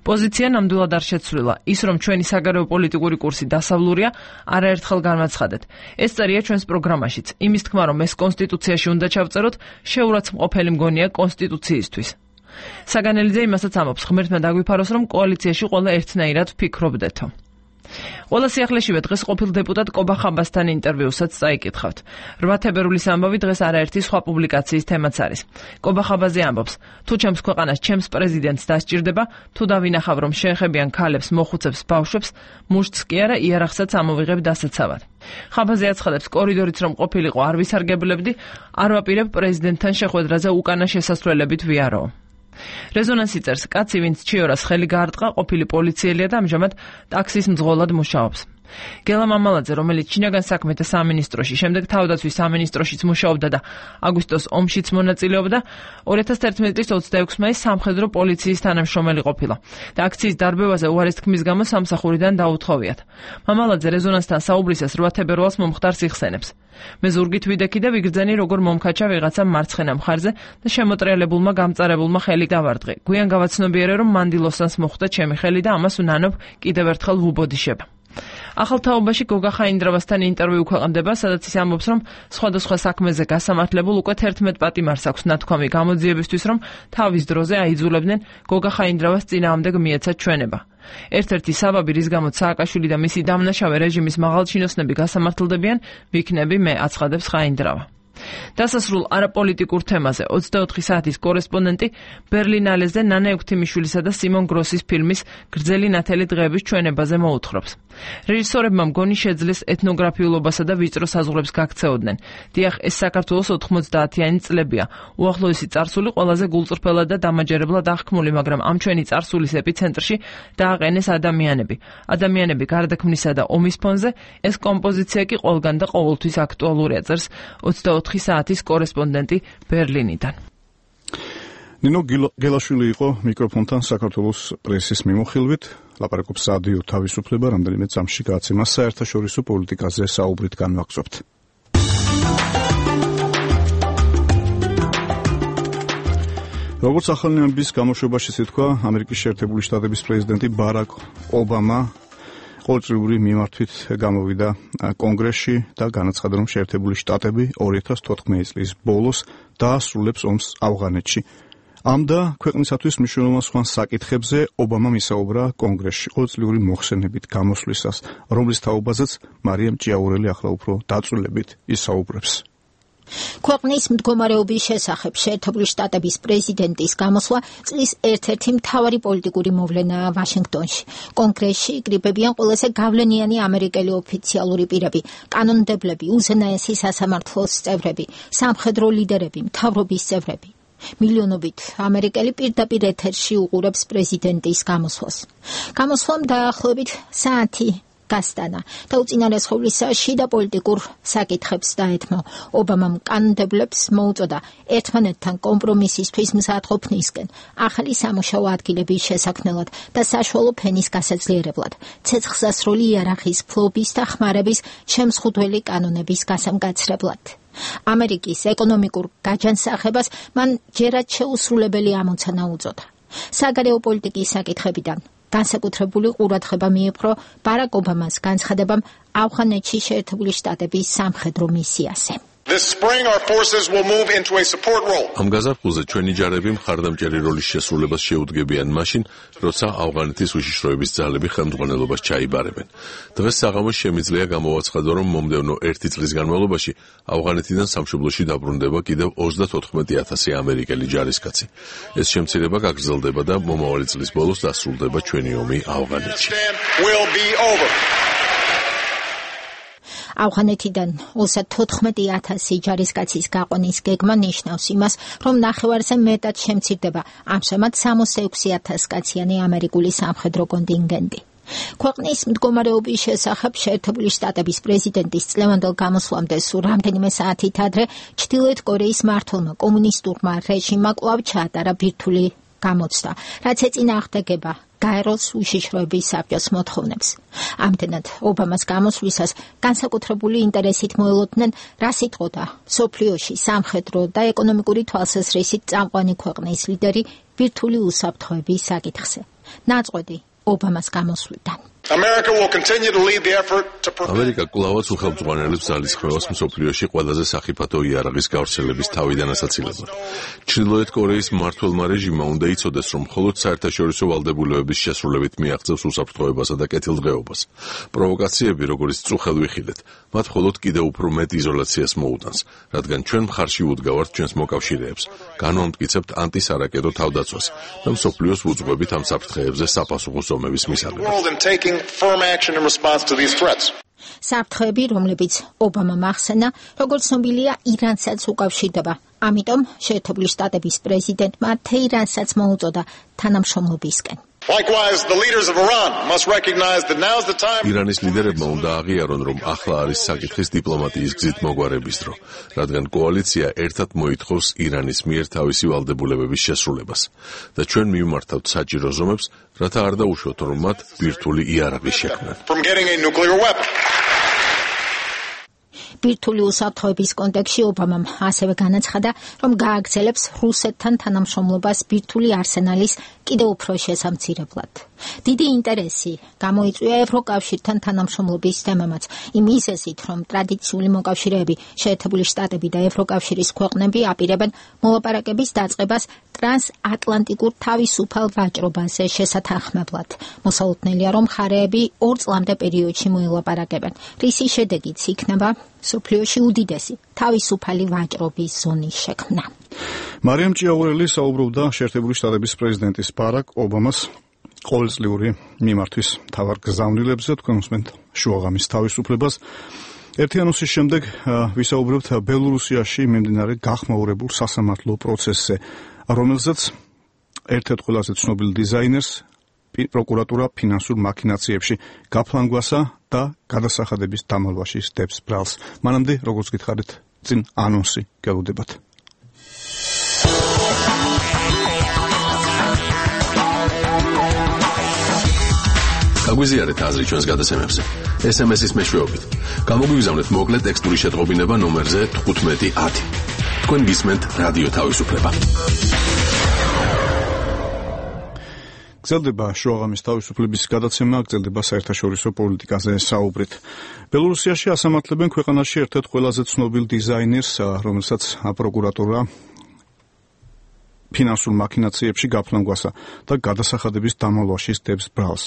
პოზიცია ნამდვილად არ შეცვლილა. ის, რომ ჩვენი საგარეო პოლიტიკური კურსი დასავლურია, არაერთხელ განაცხადეთ. ეს წერია ჩვენს პროგრამაშიც. იმის თქმა, რომ ეს კონსტიტუციაში უნდა ჩავწეროთ, შეურაცხმყოფელი მგონია კონსტიტუციისთვის. საგანელიძე იმასაც ამბობს, ღმერთმა დაგვიფაროს, რომ კოალიციაში ყველა ერთნაირად ვფიქრობდეთო. ყველა სიახლეშივე დღეს ყოფილ დეპუტატ კობა ხაბასთან ინტერვიუსაც წაიკითხავთ. 8 თებერვლის ამბავი დღეს არაერთი სხვა პუბლიკაციის თემაც არის. კობა ხაბაზე ამბობს: თუ ჩემს ქვეყანას ჩემს პრეზიდენტს დასჭირდება, თუ დავინახავ, რომ შეეხებიან ქალებს, მოხუცებს, ბავშვებს, მუშტს კი არა, იარაღსაც ამოვიღებ დასაცავად. ხაბაზე აცხადებს, კორიდორიც რომ ყოფილიყო არ ვისარგებლებდი, არ ვაპირებ პრეზიდენტთან შეხვედრაზე უკანა შესასვლელებით ვიარო. რეზონანსი წერს, კაცი, ვინც ჩიორას ხელი გაარტყა, ყოფილი პოლიციელია და ამჟამად ტაქსის მძღოლად მუშაობს. გელა მამალაძე, რომელიც შინაგან საქმეთა სამინისტროში, შემდეგ თავდაცვის სამინისტროშიც მუშაობდა და აგვისტოს ომშიც მონაწილეობდა, 2011 წლის 26 მაისს სამხედრო პოლიციის თანამშრომელი ყოფილა და აქციის დარბევაზე უარის თქმის გამო სამსახურიდან დაუთხოვიათ. მამალაძე რეზონანსთან საუბრისას 8 თებერვალს მომხდარს იხსენებს. მე ზურგით ვიდექი და ვიგრძენი, როგორ მომქაჩა ვიღაცა მარცხენა მხარზე და შემოტრიალებულმა გამწარებულმა ხელი დავარდღე. გვიან გავაცნობიერე, რომ მანდილოსანს მოხვდა ჩემი ხელი და ამას ვნანობ კიდევ ერთხელ ვუბოდიშებ. ახალ თაობაში გოგა ხაინდრავასთან ინტერვიუ ქვეყნდება, სადაც ის ამბობს, რომ სხვადასხვა საქმეზე გასამართლებულ უკვე 11 პატიმარს აქვს ნათქვამი გამოძიებისთვის, რომ თავის დროზე აიძულებდნენ გოგა ხაინდრავას წინააღმდეგ მიეცა ჩვენება. ერთ-ერთი საბაბი, რის გამოც სააკაშვილი და მისი დამნაშავე რეჟიმის მაღალჩინოსნები გასამართლდებიან, ვიქნები მე, აცხადებს ხაინდრავა. დასასრულ არაპოლიტიკურ თემაზე 24 საათის კორესპონდენტი ბერლინალეზე ნანა ექვთიმიშვილისა და სიმონ გროსის ფილმის გრძელი ნათელი დღეების ჩვენებაზე მოუთხრობს. რეჟისორებმა მგონი შეძლეს ეთნოგრაფიულობასა და ვიწრო საზღვრებს გაქცეოდნენ. დიახ, ეს საქართველოს 90-იანი წლებია. უახლოესი წარსული ყველაზე გულწრფელად და დამაჯერებლად აღქმული, მაგრამ ამ ჩვენი წარსულის ეპიცენტრში დააყენეს ადამიანები. ადამიანები გარდაქმნისა და ომის ფონზე, ეს კომპოზიცია კი ყველგან და ყოველთვის აქტუალურია, წერს 24 საათის კორესპონდენტი ბერლინიდან. ნინო გელაშვილი იყო მიკროფონთან საქართველოს პრესის მიმოხილვით. ლაპარაკობს სადიო თავისუფლება, რამდენიმე წამში გააცემა საერთაშორისო პოლიტიკაზე საუბრით განვაგრძობთ. როგორც ახალ ამბის გამოშვებაში თქვა, ამერიკის შეერთებული შტატების პრეზიდენტი ბარაკ ობამა ყოველწლიური მიმართვით გამოვიდა კონგრესში და განაცხადა, რომ შეერთებული შტატები 2014 წლის ბოლოს დაასრულებს ომს ავღანეთში. ამ და ქვეყნისათვის მნიშვნელოვან სხვა საკითხებზე ობამამ ისაუბრა კონგრესში ყოველწლიური მოხსენებით გამოსვლისას, რომლის თაობაზეც მარიამ ჭიაურელი ახლა უფრო დაწვრილებით ისაუბრებს. ქვეყნის მდგომარეობის შესახებ შეერთებული შტატების პრეზიდენტის გამოსვლა წლის ერთ-ერთი მთავარი პოლიტიკური მოვლენაა ვაშინგტონში. კონგრესში იკრიბებიან ყველაზე გავლენიანი ამერიკელი ოფიციალური პირები, კანონმდებლები, უზენაესი სასამართლოს წევრები, სამხედრო ლიდერები, მთავრობის წევრები. მილიონობით ამერიკელი პირდაპირ ეთერში უყურებს პრეზიდენტის გამოსვლას. გამოსვლამ დაახლოებით საათი გასტანა და უწინარესხოვლისა შიდა პოლიტიკურ საკითხებს დაეთმო. ობამამ კანონმდებლებს მოუწოდა ერთმანეთთან კომპრომისისთვის მზადყოფნისკენ, ახალი სამუშაო ადგილების შესაქმნელად და საშუალო ფენის გასაძლიერებლად, ცეცხლსასროლი იარაღის ფლობის და ხმარების შემზღუდველი კანონების გასამკაცრებლად. ამერიკის ეკონომიკურ გაჯანსაღებას მან ჯერად შეუსრულებელი ამოცანა უწოდა. საგარეო პოლიტიკის საკითხებიდან განსაკუთრებული ყურადღება მიეპყრო ბარაკ ობამას განცხადებამ ავღანეთში შეერთებული შტატების სამხედრო მისიაზე. ამ გაზაფხულზე ჩვენი ჯარები მხარდამჭერი როლის შესრულებას შეუდგებიან მაშინ, როცა ავღანეთის უშიშროების ძალები ხელმძღვანელობას ჩაიბარებენ. დღეს საღამოს შემიძლია გამოვაცხადო, რომ მომდევნო 1 წლის განმავლობაში ავღანეთიდან სამშობლოში დაბრუნდება კიდევ 34,000 ამერიკელი ჯარისკაცი. ეს შემცირება გაგრძელდება და მომავალი წლის ბოლოს დასრულდება ჩვენი ომი ავღანეთში. ავღანეთიდან 34,000 ჯარისკაცის გაყვანის გეგმა ნიშნავს იმას, რომ ნახევარზე მეტად შემცირდება ამჟამად 66,000 კაციანი ამერიკული სამხედრო კონტინგენტი. ქვეყნის მდგომარეობის შესახებ შეერთებული შტატების პრეზიდენტის წლევანდელ გამოსვლამდე სულ რამდენიმე საათით ადრე ჩრდილოეთ კორეის მმართველმა კომუნისტურმა რეჟიმმა კვლავ ჩაატარა ბირთვული გამოცდა, რაც ეწინააღმდეგება გაეროს უშიშროების საბჭოს მოთხოვნებს. ამდენად ობამას გამოსვლისას განსაკუთრებული ინტერესით მოელოდნენ, რა სიტყოდა მსოფლიოში სამხედრო და ეკონომიკური თვალსაზრისით წამყვანი ქვეყნის ლიდერი ბირთვული უსაფრთხოების საკითხზე. ნაწყვეტი ობამას გამოსვლიდან. ამერიკა კვლავაც უხელმძღვანელებს ძალისხმევას მსოფლიოში ყველაზე სახიფათო იარაღის გავრცელების თავიდან ასაცილებლად. ჩრდილოეთ კორეის მმართველმა რეჟიმმა უნდა იცოდეს, რომ მხოლოდ საერთაშორისო ვალდებულებების შესრულებით მიაღწევს უსაფრთხოებასა და კეთილდღეობას. პროვოკაციები, როგორც წუხელ ვიხილეთ, მათ მხოლოდ კიდევ უფრო მეტ იზოლაციას მოუტანს, რადგან ჩვენ მხარში უდგავართ ჩვენს მოკავშირეებს, განვამტკიცებთ ანტისარაკეტო თავდაცვას და მსოფლიოს ვუძღვებით ამ საფრთხეებზე საპასუხო ზომების მისაღებად. საფრთხეები, რომლებიც ობამამ ახსენა, როგორც ცნობილია, ირანსაც უკავშირდება. ამიტომ შეერთებული შტატების პრეზიდენტმა თეირანსაც მოუწოდა თანამშრომლობისკენ. ირანის ლიდერებმა უნდა აღიარონ, რომ ახლა არის საკითხის დიპლომატიის გზით მოგვარების დრო, რადგან კოალიცია ერთად მოითხოვს ირანის მიერ თავისი ვალდებულებების შესრულებას და ჩვენ მივმართავთ საჭირო ზომებს, რათა არ დაუშვოთ, რომ მათ ბირთვული იარაღი შექმნან. ბირთვული უსაფრთხოების კონტექსტში ობამამ ასევე განაცხადა, რომ გააგრძელებს რუსეთთან თანამშრომლობას ბირთვული არსენალის კიდევ უფრო შესამცირებლად. დიდი ინტერესი გამოიწვია ევროკავშირთან თანამშრომლობის თემამაც, იმ მიზეზით, რომ ტრადიციული მოკავშირეები, შეერთებული შტატები და ევროკავშირის ქვეყნები აპირებენ მოლაპარაკების დაწყებას ტრანსატლანტიკურ თავისუფალ ვაჭრობაზე შესათანხმებლად. მოსალოდნელია, რომ მხარეები 2 წლამდე პერიოდში მოელაპარაკებენ, რისი შედეგიც იქნება მსოფლიოში უდიდესი თავისუფალი ვაჭრობის ზონის შექმნა. მარიამ ჭიაურელი საუბრობდა შეერთებული შტატების პრეზიდენტის ბარაკ ობამას ყოველწლიური მიმართვის მთავარ გზავნილებზე, თქვენ უსმენთ შუაღამის თავისუფლებას. ერთიანოსის შემდეგ ვისაუბრებთ ბელორუსიაში მიმდინარე გახმაურებულ სასამართლო პროცესზე, რომელზეც ერთ-ერთ ყველაზე ცნობილ დიზაინერს პროკურატურა ფინანსურ მაქინაციებში გაფლანგვასა და გადასახადების დამალვაში სდებს ბრალს. მანამდე, როგორც გითხარით, წინ ანონსი გელოდებათ. გაგვიზიარეთ აზრი ჩვენს გადაცემებზე. SMS-ის მეშვეობით. გამოგვიგზავნეთ მოკლე ტექსტური შეტყობინება ნომერზე 1510. თქვენ გისმენთ რადიო თავისუფლება. გრძელდება შუაღამის თავისუფლების გადაცემა, გრძელდება საერთაშორისო პოლიტიკაზე საუბრით. ბელორუსიაში ასამართლებენ ქვეყანაში ერთ-ერთ ყველაზე ცნობილ დიზაინერს, რომელსაც პროკურატურა ფინანსურ მაქინაციებში გაფლანგვასა და გადასახადების დამალვაში სდებს ბრალს.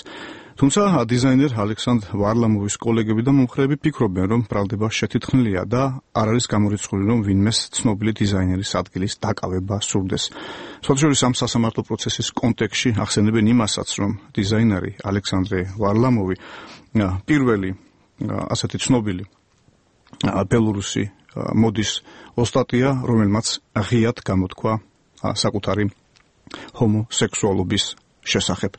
თუმცა დიზაინერ ალექსანდრ ვარლამოვის კოლეგები და მომხრეები ფიქრობენ, რომ ბრალდება შეთითხნილია და არ არის გამორიცხული, რომ ვინმეს ცნობილი დიზაინერის ადგილის დაკავება სურდეს. სხვათაშორის ამ სასამართლო პროცესის კონტექსტში ახსენებენ იმასაც, რომ დიზაინერი ალექსანდრე ვარლამოვი პირველი ასეთი ცნობილი ბელორუსი მოდის ოსტატია, რომელმაც ღიად გამოთქვა საკუთარი ჰომოსექსუალობის შესახებ.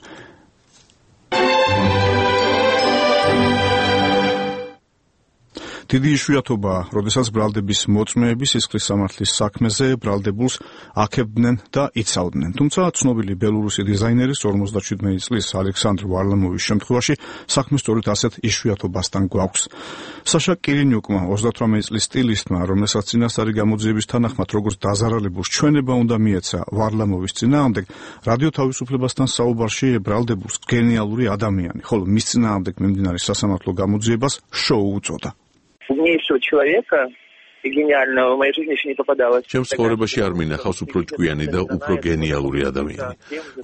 დიდი იშვიათობა, როდესაც ბრალდების მოწმეები სისხლის სამართლის საქმეზე ბრალდებულს აქებდნენ და იცავდნენ. თუმცა ცნობილი ბელორუსი დიზაინერის 57 წლის ალექსანდრ ვარლამოვის შემთხვევაში საქმე სწორედ ასეთ იშვიათობასთან გვაქვს. საშა კირინიუკმა 38 წლის სტილისტმა, რომელსაც წინასწარი გამოძიების თანახმად როგორც დაზარალებულს ჩვენება უნდა მიეცა ვარლამოვის წინააღმდეგ, რადიო თავისუფლებასთან საუბარში ბრალდებულს გენიალური ადამიანი, ხოლო მის წინააღმდეგ მიმდინარე სასამართლო გამოძიებას შოუ უწოდა. Умнейшего человека ჩემს ცხოვრებაში არ მინახავს უფრო ჭკვიანი და უფრო გენიალური ადამიანი.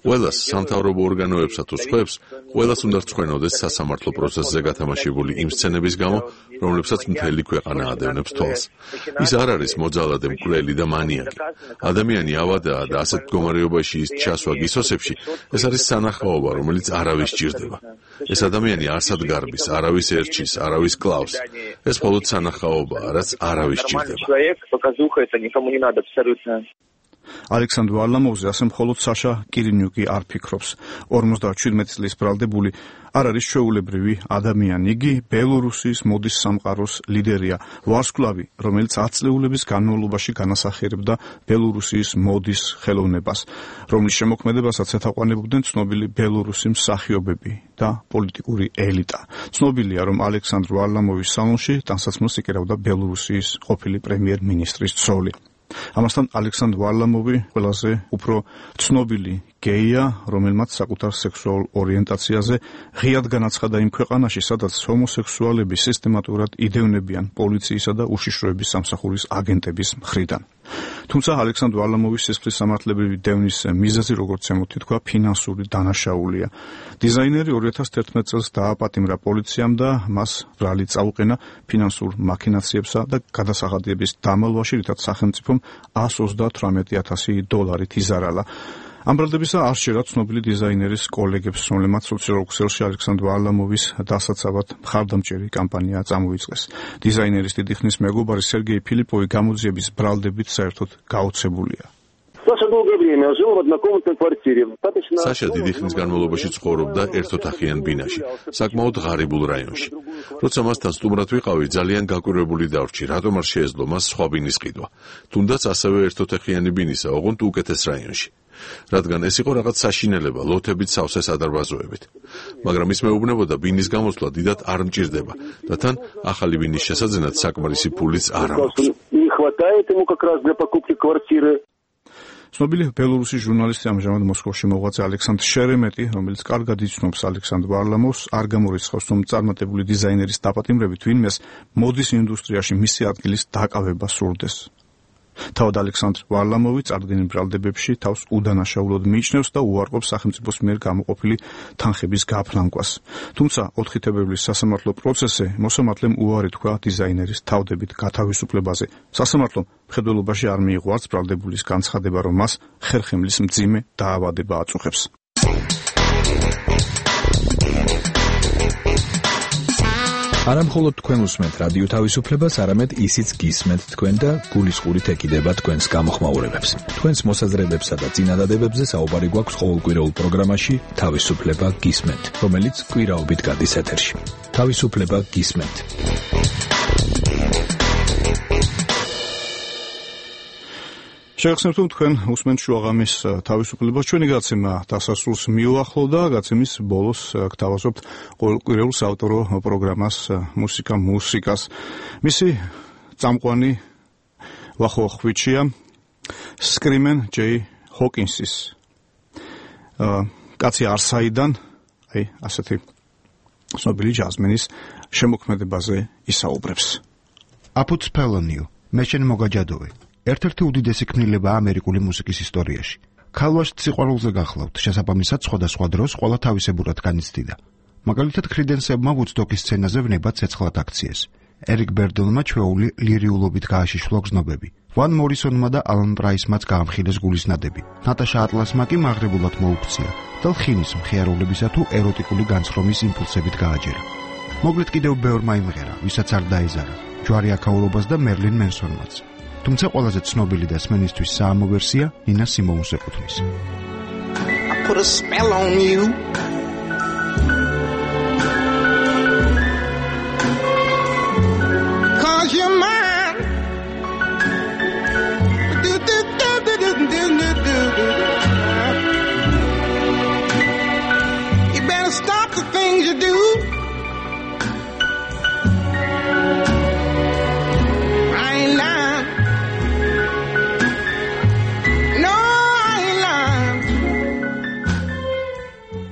ყველას სამთავრობო ორგანოებსა თუ სხვებს ყველას უნდა რწმენოდეს სასამართლო პროცესზე გათამაშებული იმ სცენების გამო, რომლებსაც მთელი ქვეყანა ადევნებს თვალს. ის არ არის მოძალადე, მკვლელი და მანიაკი. ადამიანი ავადაა და ასეთ მდგომარეობაში ის ჩასვა გისოსებში, ეს არის სანახაობა, რომელიც არავის ჭირდება. ეს ადამიანი არსად გარბის, არავის ერჩის, არავის კლავს. ეს მხოლოდ სანახაობაა, რაც არავის ჭირდება. ალექსანდრ ვარლამოვზე ასე მხოლოდ საშა კირინიუკი არ ფიქრობს. 57 წლის ბრალდებული არ არის ჩვეულებრივი ადამიანი. იგი ბელორუსიის მოდის სამყაროს ლიდერია, ვარსკვლავი, რომელიც 10 წლეულების განმავლობაში განასახიერებდა ბელორუსიის მოდის ხელოვნებას, რომლის შემოქმედებასაც ეთაყვანებოდნენ ცნობილი ბელორუსი მსახიობები და პოლიტიკური ელიტა. ცნობილია, რომ ალექსანდრ ვარლამოვის სალონში ტანსაცმელს იკერავდა ბელორუსიის ყოფილი პრემიერ-მინისტრის ცოლი. ამასთან ალექსანდრ ვარლამოვი ყველაზე უფრო ცნობილი გეია, რომელმაც საკუთარ სექსუალურ ორიენტაციაზე ღიად განაცხადა იმ ქვეყანაში, სადაც ჰომოსექსუალები სისტემატურად იდევნებიან პოლიციისა და უშიშროების სამსახურის აგენტების მხრიდან. თუმცა ალექსანდრ ვარლამოვის სისხლის სამართლებრივი დევნის მიზეზი, როგორც ემთქვა, ფინანსური დანაშაულია. დიზაინერი 2011 წელს დააპატიმრა პოლიციამ და მას ბრალი წაუყენა ფინანსურ მაქინაციებსა და გადასახადების დამალვაში, რითაც სახელმწიფომ $138,000 იზარალა. ამ ბრალდებისა არ შეერა ცნობილი დიზაინერის კოლეგებს, რომლებმაც სოციალურ ქსელში ალექსანდრ ვარლამოვის დასაცავად მხარდამჭერი კამპანია წამოიწყეს. დიზაინერის დიდი ხნის მეგობარი სერგეი ფილიპოვი გამოძიების ბრალდებით საერთოდ გაოცებულია. საშა დიდი ხნის განმავლობაში ცხოვრობდა ერთოთახიან ბინაში, საკმაოდ ღარიბულ რაიონში. როცა მასთან სტუმრად ვიყავი, ძალიან გაკვირვებული დავრჩი, რატომ არ შეეძლო მას სხვა ბინის ყიდვა. თუნდაც ასევე ერთოთახიანი ბინისა, ოღონდ უკეთეს რაიონში. რადგან ეს იყო რაღაც საშინელება, ლოთებით სავსე სადარბაზოებით. მაგრამ ის მეუბნებოდა, ბინის გამოსვლა დიდად არ მჭირდება და თან ახალი ბინის შესაძენად საკმარისი ფულიც არ აქვს. ცნობილი ბელორუსის ჟურნალისტი ამჟამად მოსკოვში მოღვაწე ალექსანდრ შერემეტი, რომელიც კარგად იცნობს ალექსანდრ ვარლამოვს, არ გამორიცხავს, რომ წარმატებული დიზაინერის დაპატიმრებით ვინმეს მოდის ინდუსტრიაში მისი ადგილის დაკავება სურდეს. თავად ალექსანდრ ვარლამოვი წარდგენილ ბრალდებებში თავს უდანაშაულოდ მიიჩნევს და უარყოფს სახელმწიფოს მიერ გამოყოფილი თანხების გაფლანკვას. თუმცა 4 თებერვლის სასამართლო პროცესზე მოსამართლემ უარი თქვა დიზაინერის თავდებით გათავისუფლებაზე. სასამართლომ მხედველობაში არ მიიღო არც ბრალდებულის განცხადება, რომ მას ხერხემლის მძიმე დაავადება აწუხებს. არა მხოლოდ თქვენ უსმენთ რადიო თავისუფლებას, არამედ ისიც გისმენთ თქვენ და გულისყურით ეკიდება თქვენს გამოხმაურებებს. თქვენს მოსაზრებებსა და წინადადებებზე საუბარი გვაქვს ყოველკვირეულ პროგრამაში თავისუფლება გისმენთ, რომელიც კვირაობით გადის ეთერში. თავისუფლება გისმენთ. შეგახსენებთ, თქვენ უსმენთ შუაღამის თავისუფლებას. ჩვენი გაცემა დასასრულს მიუახლოვდა, გაცემის ბოლოს გთავაზობთ ყოველკვირეულ საავტორო პროგრამას მუსიკას. მისი წამყვანი ვახოხვიჩია სკრიმენ ჯეი ჰოკინსის კაცი არსაიდან, ასეთი ცნობილი ჯაზმენის შემოქმედებაზე ისაუბრებს. აპუც ფელონიო, მე შენ მოგაჯადოვე. ერთ-ერთი უდიდესი ქმნილება ამერიკული მუსიკის ისტორიაში. ქალვაშთ სიყვარულზე გახლავთ, შესაბამისად სხვადასხვა დროს ყველა თავისებურად განიცდიდა. მაგალითად, ქრიდენსებმა ვუდსტოკის სცენაზე ვნება ცეცხლად აქციეს. ერიკ ბერდელმა ჩვეული ლირიულობით გააშიშვლა გზნობები. ვან მორისონმა და ალან პრაისმაც გაამხილეს გულისნადები. ნატაშა ატლასმა კი მაღრებულად მოუქცია და ლხინის მხიარულებისა თუ ეროტიკული განცხრომის იმპულსებით გააჯერა. მოკლედ კიდევ ბევრმა იმღერა, ვისაც არ დაეზარა, ჯვარი აქაურობას და მერლინ მენსონმაც. თუმცა ყველაზე ცნობილი და სმენისთვის საამო ვერსია ნინა სიმოუნს ეკუთვნის. Put a spell on you. Cause you're mine. You better stop the things you do.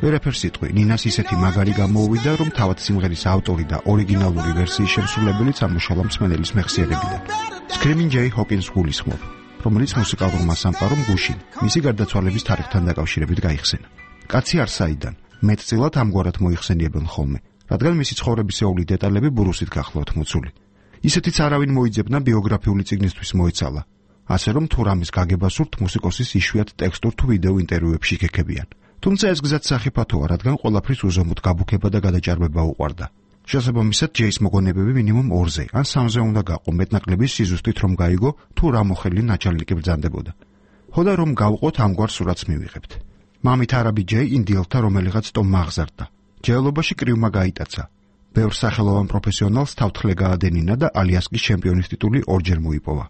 ვერაფერ სიტყვი, ნინას ისეთი მაგარი გამოუვიდა, რომ თავად სიმღერის ავტორი და ორიგინალური ვერსიის შემსრულებელიც ამუშავა მსმენელის მეხსიერებიდან. Screaming Jay Hawkins გულისხმობ, რომელიც მუსიკალურმა სამყარომ გუშინ მისი გარდაცვალების თარიღთან დაკავშირებით გაიხსენა. კაცი არსაიდან მეტწილად ამგვარად მოიხსენიებენ ხოლმე, რადგან მისი ცხოვრებისეული დეტალები ბრუსით გახლავთ მოცული. ისეთიც არავინ მოიძებნა ბიოგრაფიული წიგნისთვის მოეცალა, ასე რომ თუ რამის გაგება სურთ მუსიკოსის იშვიათ ტექსტურ თუ ვიდეო ინტერვიუებში გეკებიან. თუმცა ეს გზაც სახიფათოა, რადგან ყველაფრის უზომოდ გაბუქება და გადაჭარბება უყვარდა. შესაბამისად, ჯეის მოგონებები მინიმუმ 2-ზე ან 3-ზე უნდა გაყო მეტნაკლების სიზუსტით რომ გაიგო თუ რა მოხელი ნაჭალნიკი ბრძანდებოდა. ხოდა რომ გავყოთ ამგვარ სურათს მივიღებთ. მამით არაბი ჯეი ინდიელთა რომელიღაც ტომ აღზარდა. ჯეელობაში კრივმა გაიტაცა. ბევრ სახელოვან პროფესიონალს თავთხლე გაადენინა და ალიასკის ჩემპიონის ტიტული ორჯერ მოიპოვა.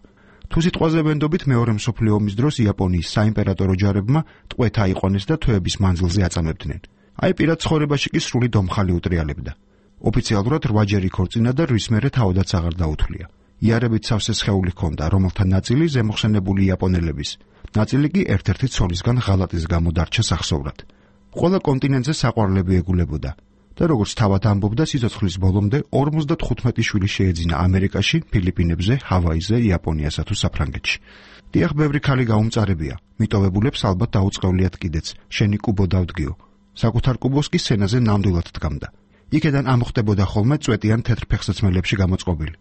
თუ სიტყვაზე ვენდობით მეორე მსოფლიო ომის დროს იაპონიის საიმპერატორო ჯარებმა ტყვეთ აიყვანეს და თვეების მანძილზე აწამებდნენ. აი პირად ცხოვრებაში კი სრული დომხალი უტრიალებდა. ოფიციალურად 8-ჯერ იქორწინა და რის მერე თავადაც აღარ დაუთვლია. იარებით სავსე სხეული ჰქონდა, რომელთა ნაწილი ზემოხსენებული იაპონელების, ნაწილი კი ერთ-ერთი ცოლისგან ღალატის გამო დარჩა სახსოვრად. ყველა კონტინენტზე საყვარლები ეგულებოდა და როგორც თავად ამბობდა, სიცოცხლის ბოლომდე 55 შვილი შეეძინა ამერიკაში, ფილიპინებზე, ჰავაიზე, იაპონიასა თუ საფრანგეთში. დიახ, ბევრი ქალი გაუმწარებია, მიტოვებულებს ალბათ დაუწყევლიათ კიდეც, შენი კუბო დავდგიო. საკუთარ კუბოს კი სცენაზე ნამდვილად დგამდა. იქედან ამხდებოდა ხოლმე წვეტიან თეთრ ფეხსაცმელებში გამოწყობილი.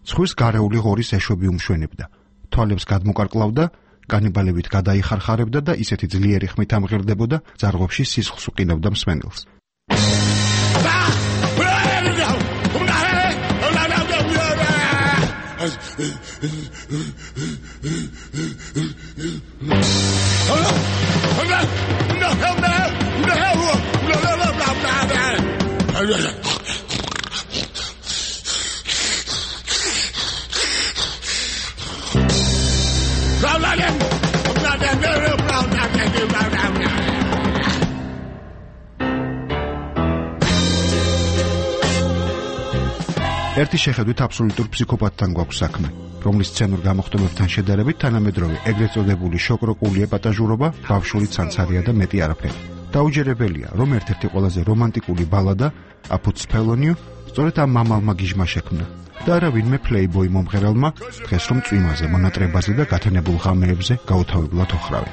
ცხვირს გარეული ღორის ეშვები უმშვენებდა. თვალებს გადმოკარკლავდა, კანიბალებით გადაიხარხარებდა და ისეთი ძლიერი ხმით ამღერდებოდა, ძარღვებში სისხლს უყინავდა მსმენელს. ერთი შეხედვით აბსოლუტურ ფსიქოპათთან გვაქვს საქმე, რომლის სცენურ გამოხმობებთან შედარებით თანამედროვე ეგრეთ წოდებული შოკროკული ეპატაჟურობა ბავშვური ცანცარია და მეტი არაფერი. დაუჯერებელია, რომ ერთ-ერთი ყველაზე რომანტიკული ბალადა აფუც ფელონიუ სწორედ ამ მამალმა გიჟმა შექმნა და არა ვინმე პლეიბოი მომღერალმა დღეს რომ წვიმაზე, მონატრებაზე და გათენებულ ღამეებზე გაუთავებლად ოხრავი.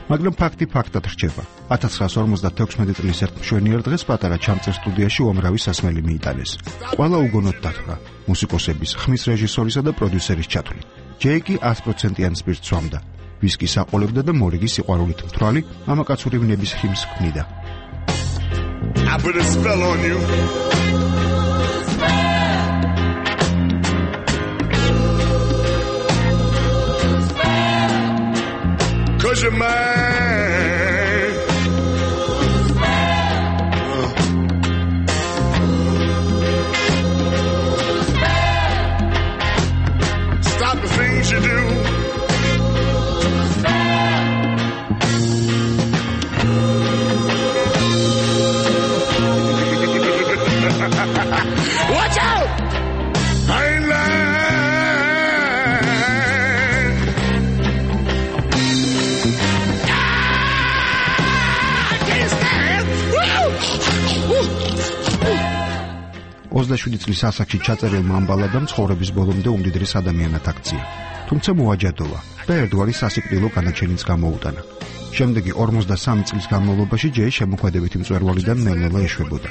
მაგრამ ფაქტი ფაქტად რჩება. 1956 წლის ერთ მშვენიერ დღეს პატარა ჩამწერ სტუდიაში უამრავი სასმელი მიიტანეს. ყველა უგონოდ დათვრა, მუსიკოსების, ხმის რეჟისორისა და პროდიუსერის ჩათვლით. ჯეიკი 100%-იან სპირტს სვამდა. ვისკის აყოლებდა და მორიგი სიყვარულით მთვრალი მამაკაცური ვნების ხიმს ქმნიდა. I put a spell on you. Cause you're mine. Stop the things you do. Watch out! I ain't lying. ოცდაშვიდი წლის ასაკში ჩაწერილმა ამ ბალადამ ცხოვრების ბოლომდე უმდიდრეს ადამიანად აქცია. თუმცა მოაჯადოვა და ერთგვარი სასიკვდილო განაჩენიც გამოუტანა. შემდეგი 53 წლის განმავლობაში ჯეი შემოქმედებითი მწვერვალიდან ნელ-ნელა ეშვებოდა,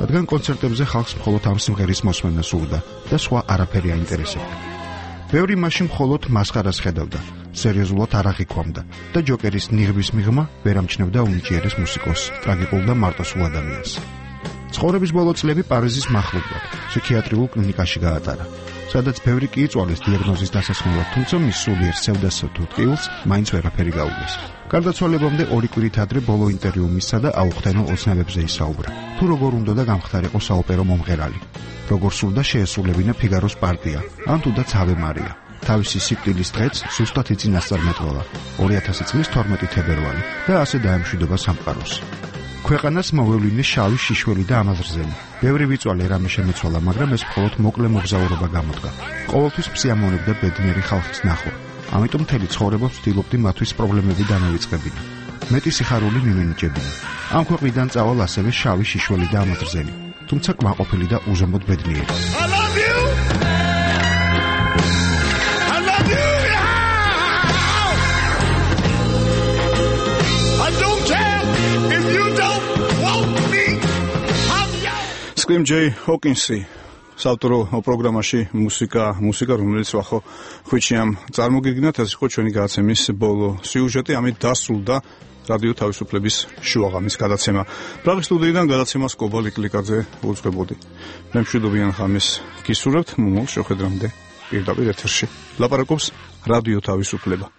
რადგან კონცერტებზე ხალხს მხოლოდ ამ სიმღერის მოსმენა სურდა და სხვა არაფერი აინტერესებდა. ბევრი მაშინ მხოლოდ მასხარას ხედავდა, სერიოზულად არ აღიქვამდა და ჯოკერის ნიღბის მიღმა ვერ ამჩნევდა უნიჭიერეს მუსიკოსს, ტრაგიკულ და მარტოსულ ადამიანს. ცხოვრების ბოლო წლები პარიზის მახლობლად, ფსიქიატრიულ კლინიკაში გაატარა, სადაც ბევრი კი იწვალეს დიაგნოზის დასასრულად, თუმცა მის სულიერ სევდასა თუ ტყილს მაინც ვერაფერი გაუგეს. გარდაცვალებამდე 2 კვირით ადრე ბოლო ინტერვიუ მისცა და აუხთენო ოცნებებზე ისაუბრა. თუ როგორ უნდა და გამხდარიყო საოპერო მომღერალი, როგორ სურდა შეესრულებინა ფიგაროს პარტია, ან თუდაც ავე მარია. თავისი სიკვდილის დღეც სუსტად იწინასწარმეტყველა 2000 წლის 12 თებერვალი და ასე დაემშვიდობა სამყაროს. ქვეყანას მოვლინე შავი შიშველი და ამაზრზენი. ბევრი ვიწვალე რამე შემეცვალა, მაგრამ ეს მხოლოდ მოკლე მოგზაურობა გამოდგა. ყოველთვის მსიამოვნებდა ბედნიერი ხალხის ნახვა. ამიტომ მთელი ცხოვრება ვცდილობდი მათთვის პრობლემები დამევიწყებინა. მეტი სიხარული მიმინიჭებინა. ამ ქვეყნიდან წავალ ასევე შავი შიშველი და ამაზრზენი, თუმცა კმაყოფილი და უზომოდ ბედნიერი. Scream J Hawkinsi საავტორო პროგრამაში მუსიკა რომელიც ვახო ხვიჩიამ წარმოგიგნათ ეს იყო ჩვენი გადაცემის ბოლო სიუჟეტი ამით დასრულდა რადიო თავისუფლების შუაღამის გადაცემა პრაღის სტუდიიდან გადაცემას კობალ იკლიკაძე უძღვებოდი მე მშვიდობიან ხამის გისურვებთ მომავალ შეხვედრამდე პირდაპირ ეთერში ლაპარაკობს რადიო თავისუფლება